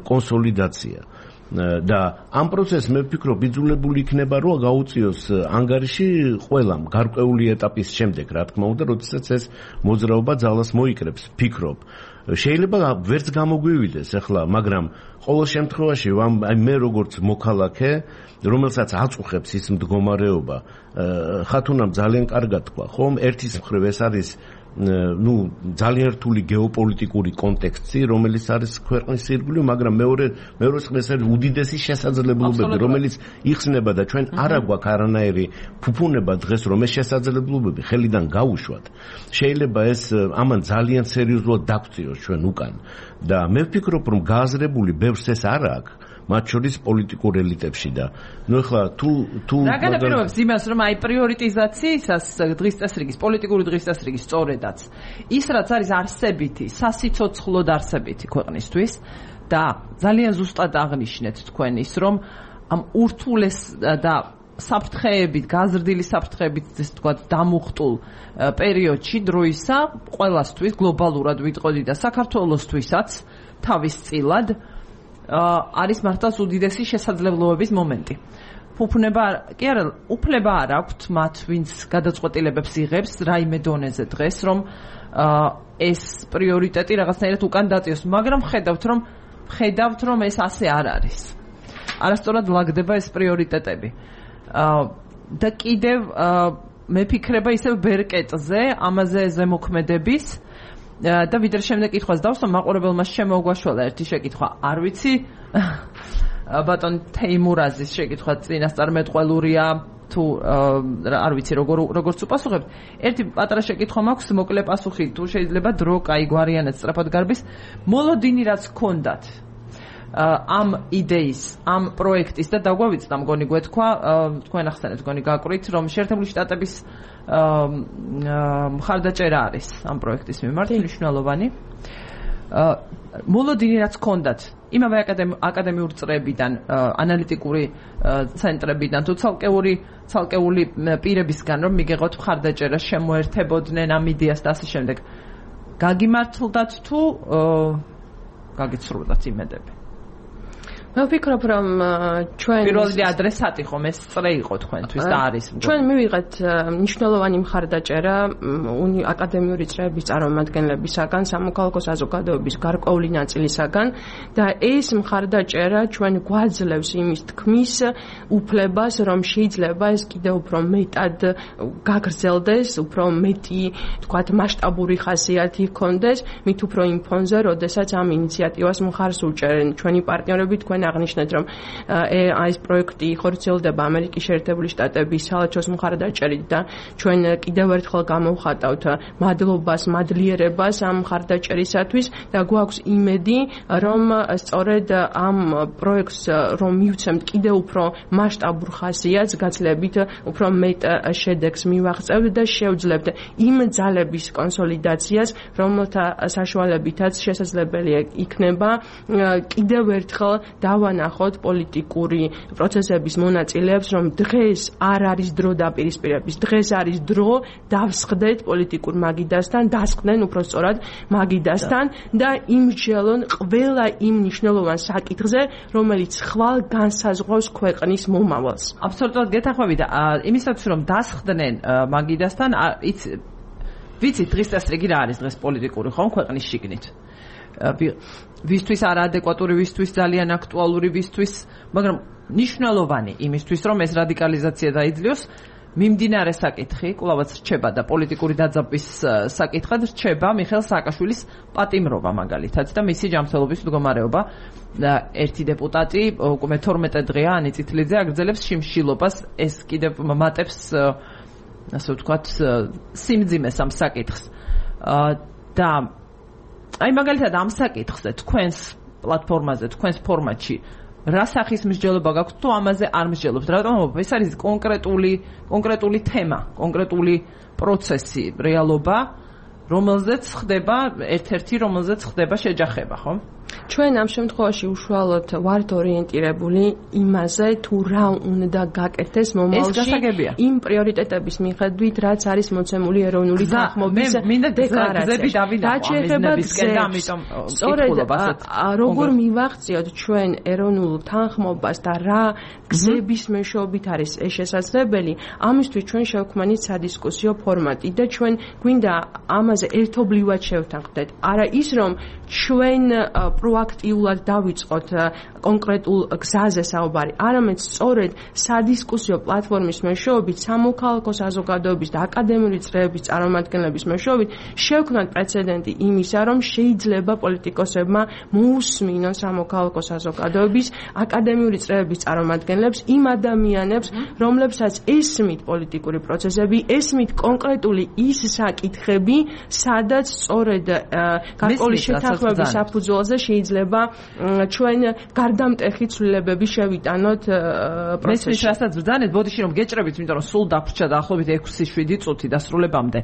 კონსოლიდაცია. და ამ პროცესს მე ვფიქრობ იძულებული იქნება რომ გაუწიოს ანგარიში ყველამ გარკვეული ეტაპის შემდეგ, რა თქმა უნდა, როდესაც ეს მოძრაობა ძალას მოიკრებს, ვფიქრობ. შეიძლება ვერც გამოგვივიდეს ახლა, მაგრამ ყოველ შემთხვევაში მე როგორც მოქალაქე, რომელსაც აწუხებს ის მდგომარეობა, ხათუნამ ძალიან კარგად თქვა, ხომ? ერთის მხრივ ეს არის ძალიან რთული გეოპოლიტიკური კონტექსტი, რომელიც არის ქვეყნის ირგვლივ, მაგრამ მეორე მხრივ ეს არის უდიდესი შესაძლებლობები, რომელიც იხსნება და ჩვენ არ გვაქვს არანაირი ფუფუნება დღეს, რომ ეს შესაძლებლობები ხელიდან გაუშვათ. შეიძლება ეს ამან ძალიან სერიოზულად დაგწიოს ჩვენ უკან და მე ვფიქრობ, რომ გააზრებული ბევრს ეს არ აქვს. მათ შორის პოლიტიკურ ელიტებში და ახლა თუ რა განაპირობებს იმას, რომ აი პრიორიტიზაციისას დღის წესრიგის, პოლიტიკური დღის წესრიგის სწორედაც ის რაც არის არსებითი, სასიცოცხლოდ არსებითი ქვეყნისთვის და ძალიან ზუსტად აღნიშნეთ თქვენ ის, რომ ამ ურთულეს და საფრთხეებით, გაზრდილი საფრთხეებით, ესე ვთქვათ, დამუხტულ პერიოდში დროისა ყველასთვის გლობალურად ვიტყოდი და საქართველოსთვისაც თავისწილად არის მართლაც უდიდესი შესაძლებლობების მომენტი. ფუფუნება კი არა, უფლება არ აქვთ მათ, ვინც გადაწყვეტილებებს იღებს რაიმე დონეზე დღეს, რომ ეს პრიორიტეტი რაღაცნაირად უკან დაწიოს, მაგრამ ხედავთ, რომ ეს ასე არ არის. არასწორად ლაგდება ეს პრიორიტეტები. და კიდევ მე ფიქრება ისევ ბერკეტზე, ამაზე ზემოქმედების და ვიდრე შემდეგ კითხვას დავსვა, მაყურებელმა შემოგვაშველა ერთი შეკითხვა. არ ვიცი, ბატონ თეიმურაზის შეკითხვა წინასწარმეტყველურია თუ არ ვიცი როგორც უპასუხებთ. ერთი პატარა შეკითხვა მაქვს, მოკლე პასუხი თუ შეიძლება დრო კაი გვარიანად სწრაფად გარბის. მოლოდინი რაც გქონდათ ამ იდეის, ამ პროექტის და დაგვავიწყდა მგონი გვეთქვა, თქვენ ახსენეთ მგონი გაკვირით, რომ შეერთებული შტატების მხარდაჭერა არის ამ პროექტის მიმართ მნიშვნელოვანი. მოლოდინი რაც გქონდათ იმავე აკადემიური წრეებიდან, ანალიტიკური ცენტრებიდან თუ ცალკეული პირებისგან რომ მიგეღოთ მხარდაჭერა, შემოერთებოდნენ ამ იდეას და ასე შემდეგ. გაგიმართლდათ თუ გაგიცრუდათ იმედები? მე ვფიქრობ, რომ ჩვენ პირველი ადრესატი ხომ ეს წრე იყო თქვენთვის და არის. ჩვენ მივიღეთ მნიშვნელოვანი მხარდაჭერა აკადემიური წრეების წარმომადგენლებისაგან, სამოქალაქო საზოგადოების გარკვეული ნაწილისაგან და ეს მხარდაჭერა ჩვენ გვაძლევს იმის თქმის უფლებას, რომ შეიძლება ეს კიდევ უფრო მეტად გაგრძელდეს, უფრო მეტი, თქვათ, მასშტაბური ხასიათი ჰქონდეს, მით უფრო იმ ფონზე, როდესაც ამ ინიციატივას მხარს უჭერენ ჩვენი პარტნიორები. თქვენ აღნიშნეთ, რომ ეს პროექტი ხორციელდება ამერიკის შეერთებული შტატების საელჩოს მხარდაჭერით და ჩვენ კიდევ ერთხელ გამოვხატავთ მადლობას, მადლიერებას ამ მხარდაჭერისათვის და გვაქვს იმედი, რომ სწორედ ამ პროექტს რომ მივცემთ კიდევ უფრო მასშტაბურ ხასიათს, გაცლებით უფრო მეტ შედეგს მივაღწევთ და შევძლებთ იმ ძალების კონსოლიდაციას, რომელთა საშუალებითაც შესაძლებელი იქნება კიდევ ერთხელ დავანახოთ პოლიტიკური პროცესების მონაწილეებს, რომ დღეს არ არის დრო დაპირისპირების, დღეს არის დრო დავსხდეთ პოლიტიკურ მაგიდასთან, დასხდნენ უფრო სწორად მაგიდასთან და იმსჯელონ ყველა იმ მნიშვნელოვან საკითხზე, რომელიც ხვალ განსაზღვრავს ქვეყნის მომავალს. აბსოლუტურად გეთანხმები და იმისათვის რომ დასხდნენ მაგიდასთან, ვიცით დღის წესრიგი რა არის დღეს პოლიტიკური ხომ ქვეყნის შიგნით. ვისთვის არაადეკვატური, ვისთვის ძალიან აქტუალური, ვისთვის, მაგრამ მნიშვნელოვანი იმისთვის, რომ ეს რადიკალიზაცია დაიძლიოს, მიმდინარე საკითხი, კვლავაც რჩება და პოლიტიკური დაძაბვის საკითხად რჩება მიხეილ სააკაშვილის პატიმრობა მაგალითად და მისი ჯანმრთელობის მდგომარეობა. ერთი დეპუტატი უკვე 12 დღეა ანი წითლიძე აგრძელებს შიმშილობას, ეს კიდევ მატებს ასე ვთქვათ სიმძიმეს ამ საკითხს. და აი მაგალითად ამ საკითხზე თქვენს პლატფორმაზე, თქვენს ფორმატში რა სახის მსჯელობა გაქვთ თუ ამაზე არ მსჯელობთ? რატომ? ეს არის კონკრეტული თემა, კონკრეტული პროცესი, რეალობა, რომელზეც ხდება ერთ-ერთი, რომელზეც ხდება შეჯახება, ხო? ჩვენ ამ შემთხვევაში უშუალოდ ვართ ორიენტირებული იმაზე, თუ რა უნდა გაკეთდეს მომავალში იმ პრიორიტეტების მიხედვით, რაც არის მოცემული ეროვნული თანხმობის დეკლარაციაში. სწორედ როგორ მივაღწიოთ ჩვენ ეროვნულ თანხმობას და რა გზების მეშვეობით არის ეს შესაძლებელი, ამისთვის ჩვენ შევქმნით სადისკუსიო ფორმატი და ჩვენ გვინდა ამაზე ერთობლივად შევთანხმდეთ. არა ის, რომ ჩვენ პროაქტიულად დავიწყოთ კონკრეტულ გზაზე საუბარი, არამედ სწორედ სადისკუსიო პლატფორმის მეშვეობით, სამოქალაქო საზოგადოების და აკადემიური წრეების წარმომადგენლების მეშვეობით შევქმნათ პრეცედენტი იმისა, რომ შეიძლება პოლიტიკოსებმა მოусმინონ სამოქალაქო საზოგადოების, აკადემიური წრეების წარმომადგენლებს, იმ ადამიანებს, რომლებსაც ესმით პოლიტიკური პროცესები, ესმით კონკრეტული ის საკითხები, სადაც სწორედ გარკვეული შეთანხმების საფუძველზე შეიძლება ჩვენ გარდამტეხი ცვლილებები შევიტანოთ პროცესში. მესმის რასაც ბრძანეთ, ბოდიში რომ გეჭრებით, იმიტომ რომ სულ დავრჩა დაახლოებით 6-7 წუთი დასრულებამდე.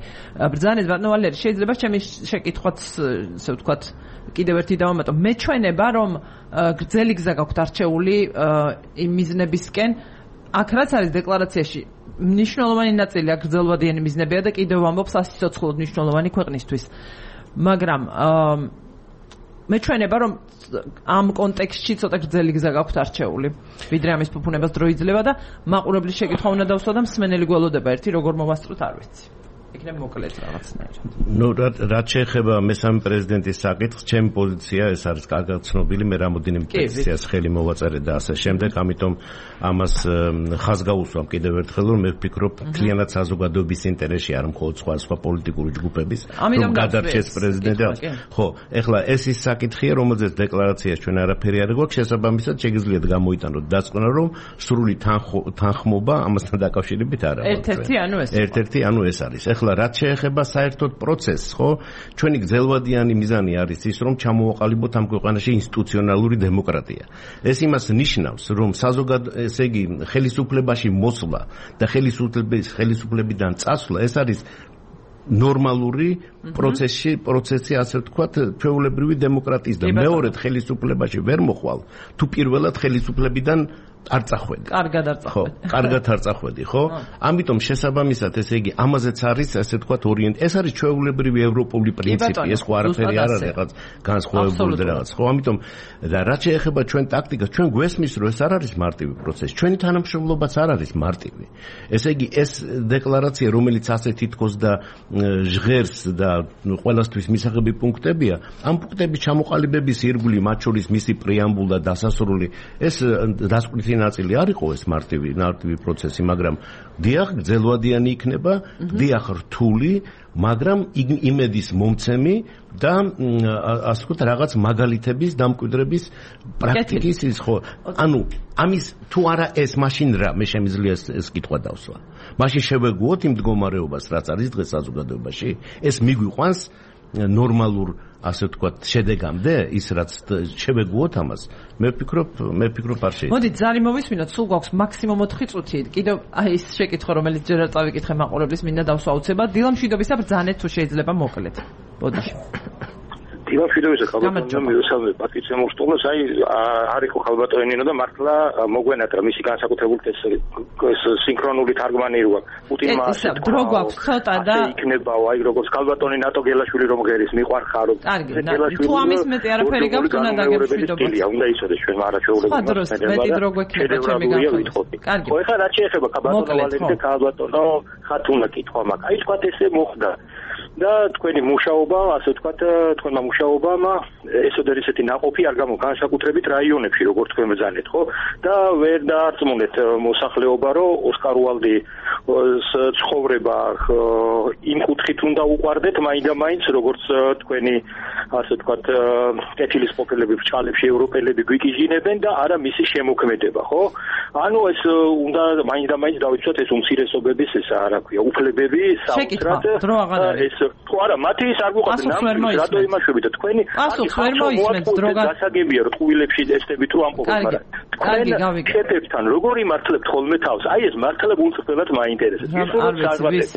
ბრძანეთ ბატონო ვალერი, შეიძლება ჩემი შეკითხვაც, ასე ვთქვათ, კიდევ ერთი დავამატო. მეჩვენება, რომ გრძელი გზა გაქვთ არჩეული იმ მიზნებისკენ, აქ რაც არის დეკლარაციაში მნიშვნელოვანი ნაწილი აქ გრძელვადიანი მიზნებია და კიდევ ვამბობ სასიცოცხლოდ მნიშვნელოვანი ქვეყნისთვის. მაგრამ მეჩვენება, რომ ამ კონტექსტში ცოტა გრძელი გზა გაქვთ არჩეული, ვიდრე ამის ფუფუნებას დრო იძლევა და მაყურებლის შეკითხვა უნდა დავსვა და მსმენელი გველოდება ერთი, როგორ მოვასწროთ, არ ვიცი. იქნებ მოკლედ რაღაცნაირად. ნუ რაც შეეხება მესამე პრეზიდენტის საკითხს, ჩემი პოზიცია ეს არის კარგად ცნობილი, მე რამოდენიმე პეტიციას ხელი მოვაწერე და ასე შემდეგ, ამიტომ ამას ხაზს გავუსვამ კიდევ ერთხელ, რომ მე ვფიქრობ, მთლიანად საზოგადოების ინტერესში არ მხოლოდ სხვა პოლიტიკური ჯგუფების, რომ გადარჩეს პრეზიდენტი. ხო, ეხლა ეს ის საკითხია, რომელზეც დეკლარაციაში ჩვენ არაფერი არ გვაქვს, შესაბამისად შეგიძლიათ გამოიტანოთ დასკვნა, რომ სრული თანხმობა ამასთან დაკავშირებით არ აქვს. ერთ-ერთი ანუ ეს არის. ეხლა რაც შეეხება საერთოდ პროცესს, ხო? ჩვენი გრძელვადიანი მიზანი არის ის, რომ ჩამოვაყალიბოთ ამ ქვეყანაში ინსტიტუციონალური დემოკრატია. ეს იმას ნიშნავს, რომ ესე იგი ხელისუფლებაში მოსვლა და ხელისუფლებიდან წასვლა ეს არის ნორმალური პროცესი, ასე ვთქვათ, ჩვეულებრივი დემოკრატიის და მეორედ ხელისუფლებაში ვერ მოხვალ, თუ პირველად ხელისუფლებიდან არ წახვედი. კარგად არ წახვედი, ხო? ამიტომ შესაბამისად, ესე იგი, ამაზეც არის, ასე ვთქვათ, ეს არის ჩვეულებრივი ევროპული პრინციპი, ეს ხო არაფერი არ არის რაღაც განსხვავებული და რაღაც, ხო? ამიტომ და რაც შეეხება ჩვენ ტაქტიკას, ჩვენ გვესმის, რომ ეს არ არის მარტივი პროცესი. ჩვენი თანამშრომლობაც არ არის მარტივი. ესე იგი, ეს დეკლარაცია, რომელიც ასე თითქოს და ჟღერს და ყველასთვის მისაღები პუნქტებია, ამ პუნქტების ჩამოყალიბების ირგვლივ, მათ შორის მისი პრეამბულა და დასასრული, ეს დასკვნითი ნაწილი არ იყო ეს მარტივი პროცესი, მაგრამ დიახ, გრძელვადიანი იქნება, დიახ, რთული, მაგრამ იმედის მომცემი და ასე ვთქვათ, რაღაც მაგალითების დამკვიდრების პრაქტიკის ის ხო. ანუ ამის თუ არა ეს მაშინ რა, მე შემიძლია ეს კითხვა დავსვა. მაშინ შევეგუოთ იმ მდგომარეობას, რაც არის დღეს საზოგადოებაში. ეს მიგვიყვანს ნორმალურ, ასე ვთქვათ, შედეგამდე, ის რაც შევეგუოთ ამას. მე ვფიქრობ არ შეიძლება. მოდით ზარი მოვისმინოთ, სულ გვაქვს მაქსიმუმ 4 წუთი. კიდევ ის შეკითხვა, რომელიც ჯერ არ წავიკითხე მაყურებლის, მინდა დავსვა უცებად. დილამშვიდობისა ბრძანეთ თუ შეიძლება მოკლედ. ბოდიში. დილამშვიდობისა ხალბატონო, მივესალმე პატიცემ მოსტოლოს, არ იყო ხალბატონინო და მართლა მოგვენატრა მისი განსაკუთრებული ეს სინქრონული თარგმანი როა. პუტინმა ასე დრო გვაქვს ცოტა და იქნებაო, აი როგორც ხალბატონი ნატო გელაშვილი რომ ღერის მიყვარხარო. თუ ამის მეტი არაფერი გაქვს, უნდა დაგემშვიდობოთ. უნდა იცოდეს ჩვენ არაჩვეულებრივი მეტი დრო გვექნება ჩემი განხილვის. კარგი. ხო, ეხლა რაც შეეხება ხალბატონო ვალერი და ხალბატონო ხათუნა კითხვა მაქვს. აი თქვათ ესე მოხდა. და თქვენი მუშაობა, ასე ვთქვათ, თქვენმა მუშაობამ ესოდერ ისეთი ნაყოფი არ გამო განსაკუთრებით რაიონებში, როგორც თქვენ ბრძანეთ, ხო? და ვერ დაარწმუნეთ მოსახლეობა, რომ ოსკარ უალდის ცხოვრება იმ კუთხით უნდა უყვარდეთ, მაინდა-მაინც, როგორც თქვენი, ასე ვთქვათ, კეთილის ყოფილები ბრჭყალებში ევროპელები გვიკიჟინებენ და არა მისი შემოქმედება, ხო? ანუ ეს უნდა მაინდა-მაინც დავიცვათ ეს უმცირესობების ეს რა ქვია, უფლებები საოცრად ეს თუ არა მათი ის არ გვიყვარდა რატო იმაშვებით თქვენი პასუხს ვერ მოისმენთ დრო გასაგებია რომ ტყუილებში ტესტები თუ ამყოფენ მაგრამ კარგი გავიგე ქეთებთან როგორ იმართლებთ ხოლმე თავს აი ეს მართლებ უწევდათ მაინტერესებს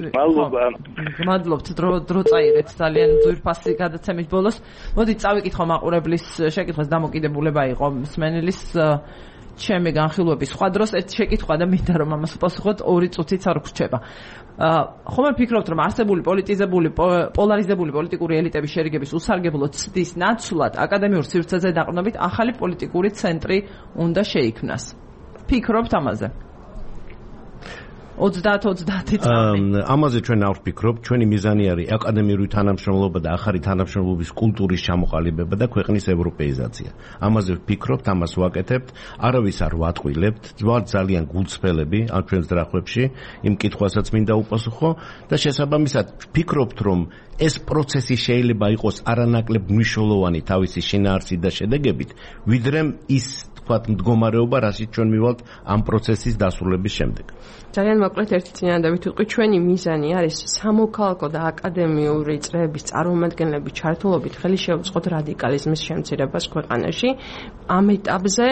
მადლობთ დრო წაიღეთ ძალიან ძვირფასი გადაცემის ბოლოს მოდით წავიკითხო მაყურებლის შეკითხვას დამოკიდებულება იყო მსმენელის ჩემი განხილვების სხვა დროს ერთ შეკითხვა და მინდა რომ ამას პასუხოთ 2 წუთიც არ გრჩება. ხომ ფიქრობთ რომ არსებული პოლიტიზებული პოლარიზებული პოლიტიკური ელიტების შერიგების უსარგებლო ცდის ნაცვლად აკადემიურ სივრცეზე დაყრდნობით ახალი პოლიტიკური ცენტრი უნდა შეიქმნას. ფიქრობთ ამაზე? 30 წამი. ამაზე ჩვენ არ ვფიქრობთ, ჩვენი მიზანი არის აკადემიური თანამშრომლობა და ახალი თანამშრომლობის კულტურის ჩამოყალიბება და ქვეყნის ევროპეიზაცია. ამაზე ვფიქრობთ, ამას ვაკეთებთ, არავის არ ვატყვილებთ, ვართ ძალიან გულწრფელები ამ ჩვენ ძრახვებში, იმ კითხვასაც მინდა უპასუხო და შესაბამისად ვფიქრობთ, რომ ეს პროცესი შეიძლება იყოს არანაკლებ მნიშვნელოვანი თავისი შინაარსით და შედეგებით, ვიდრე ის თქვათ მდგომარეობა, რასაც ჩვენ მივალთ ამ პროცესის დასრულების შემდეგ. ძალიან მოკლედ ერთი წინადადებით ვიტყვი, ჩვენი მიზანი არის სამოქალაქო და აკადემიური წრეების წარმომადგენლების ჩართულობით ხელი შეუწყოთ რადიკალიზმის შემცირებას ქვეყანაში ამ ეტაპზე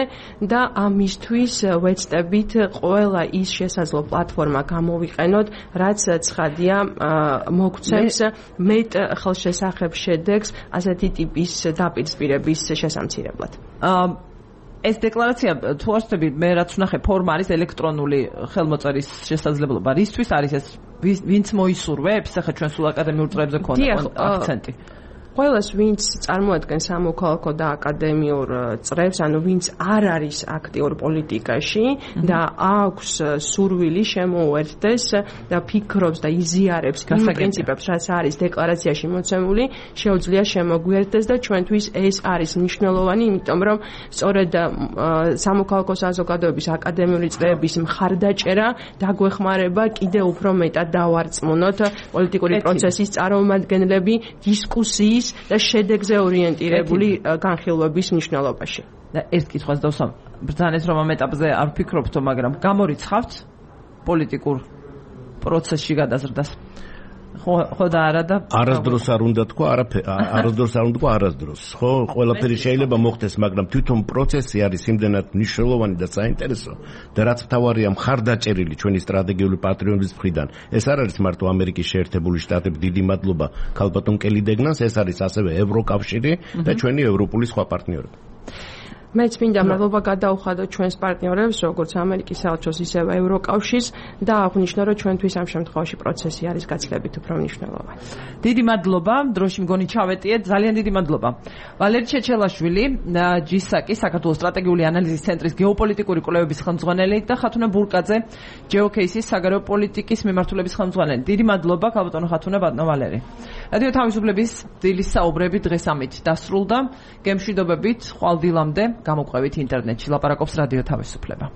და ამისთვის ვეცდებით ყველა ის შესაძლო პლატფორმა გამოვიყენოთ, რაც ცხადია მოგცემს მეტ ხელშესახებ შედეგს ასეთი ტიპის დაპირისპირების შესამცირებლად. ეს დეკლარაცია თუ არ ვთქვი მე რაც ვნახე ფორმა არის ელექტრონული ხელმოწერის შესაძლებლობა. რისთვის არის ეს? ვინც მოისურვებს? ახლა ჩვენ სულ აკადემიურ წრეებზე ქონდა აქცენტი. ყველას ვინც წარმოადგენს სამოქალაქო და აკადემიურ წრებს, ანუ ვინც არ არის აქტიურ პოლიტიკაში და აქვს სურვილი შემოუერთდეს და ფიქრობს და იზიარებს იმ პრინციპებს, რაც არის დეკლარაციაში მოცემული, შეუძლია შემოგვიერთდეს და ჩვენთვის ეს არის მნიშვნელოვანი, იმიტომ რომ სწორედ სამოქალაქო საზოგადოების აკადემიური წრეების მხარდაჭერა დაგვეხმარება კიდევ უფრო მეტად დავარწმუნოთ პოლიტიკური პროცესის წარმომადგენლები დისკუსიის და შედეგზე ორიენტირებული განხილვების მნიშვნელობაში. და ერთ კითხვას დავსვამ, ბრძანეთ რომ ამ ეტაპზე არ ვფიქრობთო, მაგრამ გამორიცხავთ პოლიტიკურ პროცესში გადაზრდას. ხო და არა და არასდროს არ უნდა თქვა, არასდროს არ უნდა თქვა არასდროს. ხო, ყველაფერი შეიძლება მოხდეს, მაგრამ თვითონ პროცესი არის იმდენად მნიშვნელოვანი და საინტერესო და რაც მთავარია მხარდაჭერილი ჩვენი სტრატეგიული პატრიოტიზმის მხრიდან. ეს არ არის მარტო ამერიკის შეერთებული შტატები, დიდი მადლობა ქალბატონ კელი დეგნას, ეს არის ასევე ევროკავშირი და ჩვენი ევროპული სხვა პარტნიორები. მეც მინდა მადლობა გადაუხადო ჩვენს პარტნიორებს, როგორც ამერიკის საელჩოს, ისევე ევროკავშირს და აღვნიშნო, რომ ჩვენთვის ამ შემთხვევაში პროცესი არის გაცილებით უფრო მნიშვნელოვანი. დიდი მადლობა, დროში მგონი ჩავეტიეთ, ძალიან დიდი მადლობა. ვალერი ჩეჩელაშვილი, ჯისაკი, საქართველოს სტრატეგიული ანალიზის ცენტრის გეოპოლიტიკური კვლევების ხელმძღვანელი და ხათუნა ბურკაძე, ჯეოკეისის საგარეო პოლიტიკის მიმართულების ხელმძღვანელი. დიდი მადლობა, ქალბატონო ხათუნა, ბატონო ვალერი. რადიო თავისუფლების დილის საუბრები დღეს ამით დასრულდა. გემშვიდობებით, ხვალ დილამდე გამოყვებით ინტერნეტში. ლაპარაკობს რადიო თავისუფლება.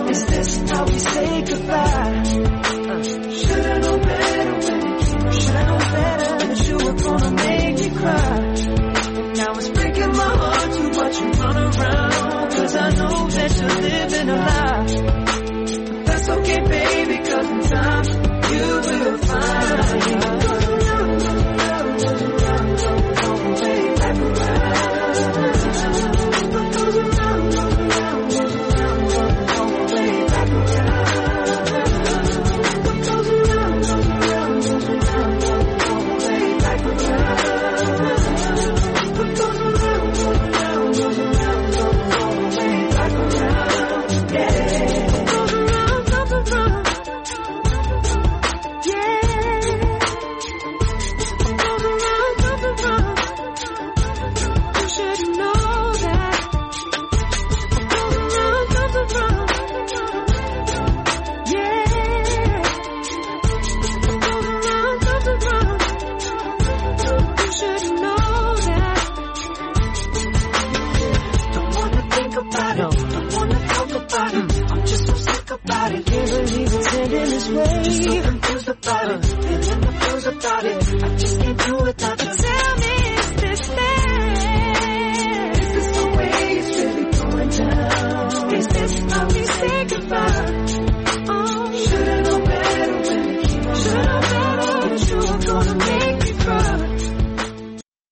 Is this how we say goodbye?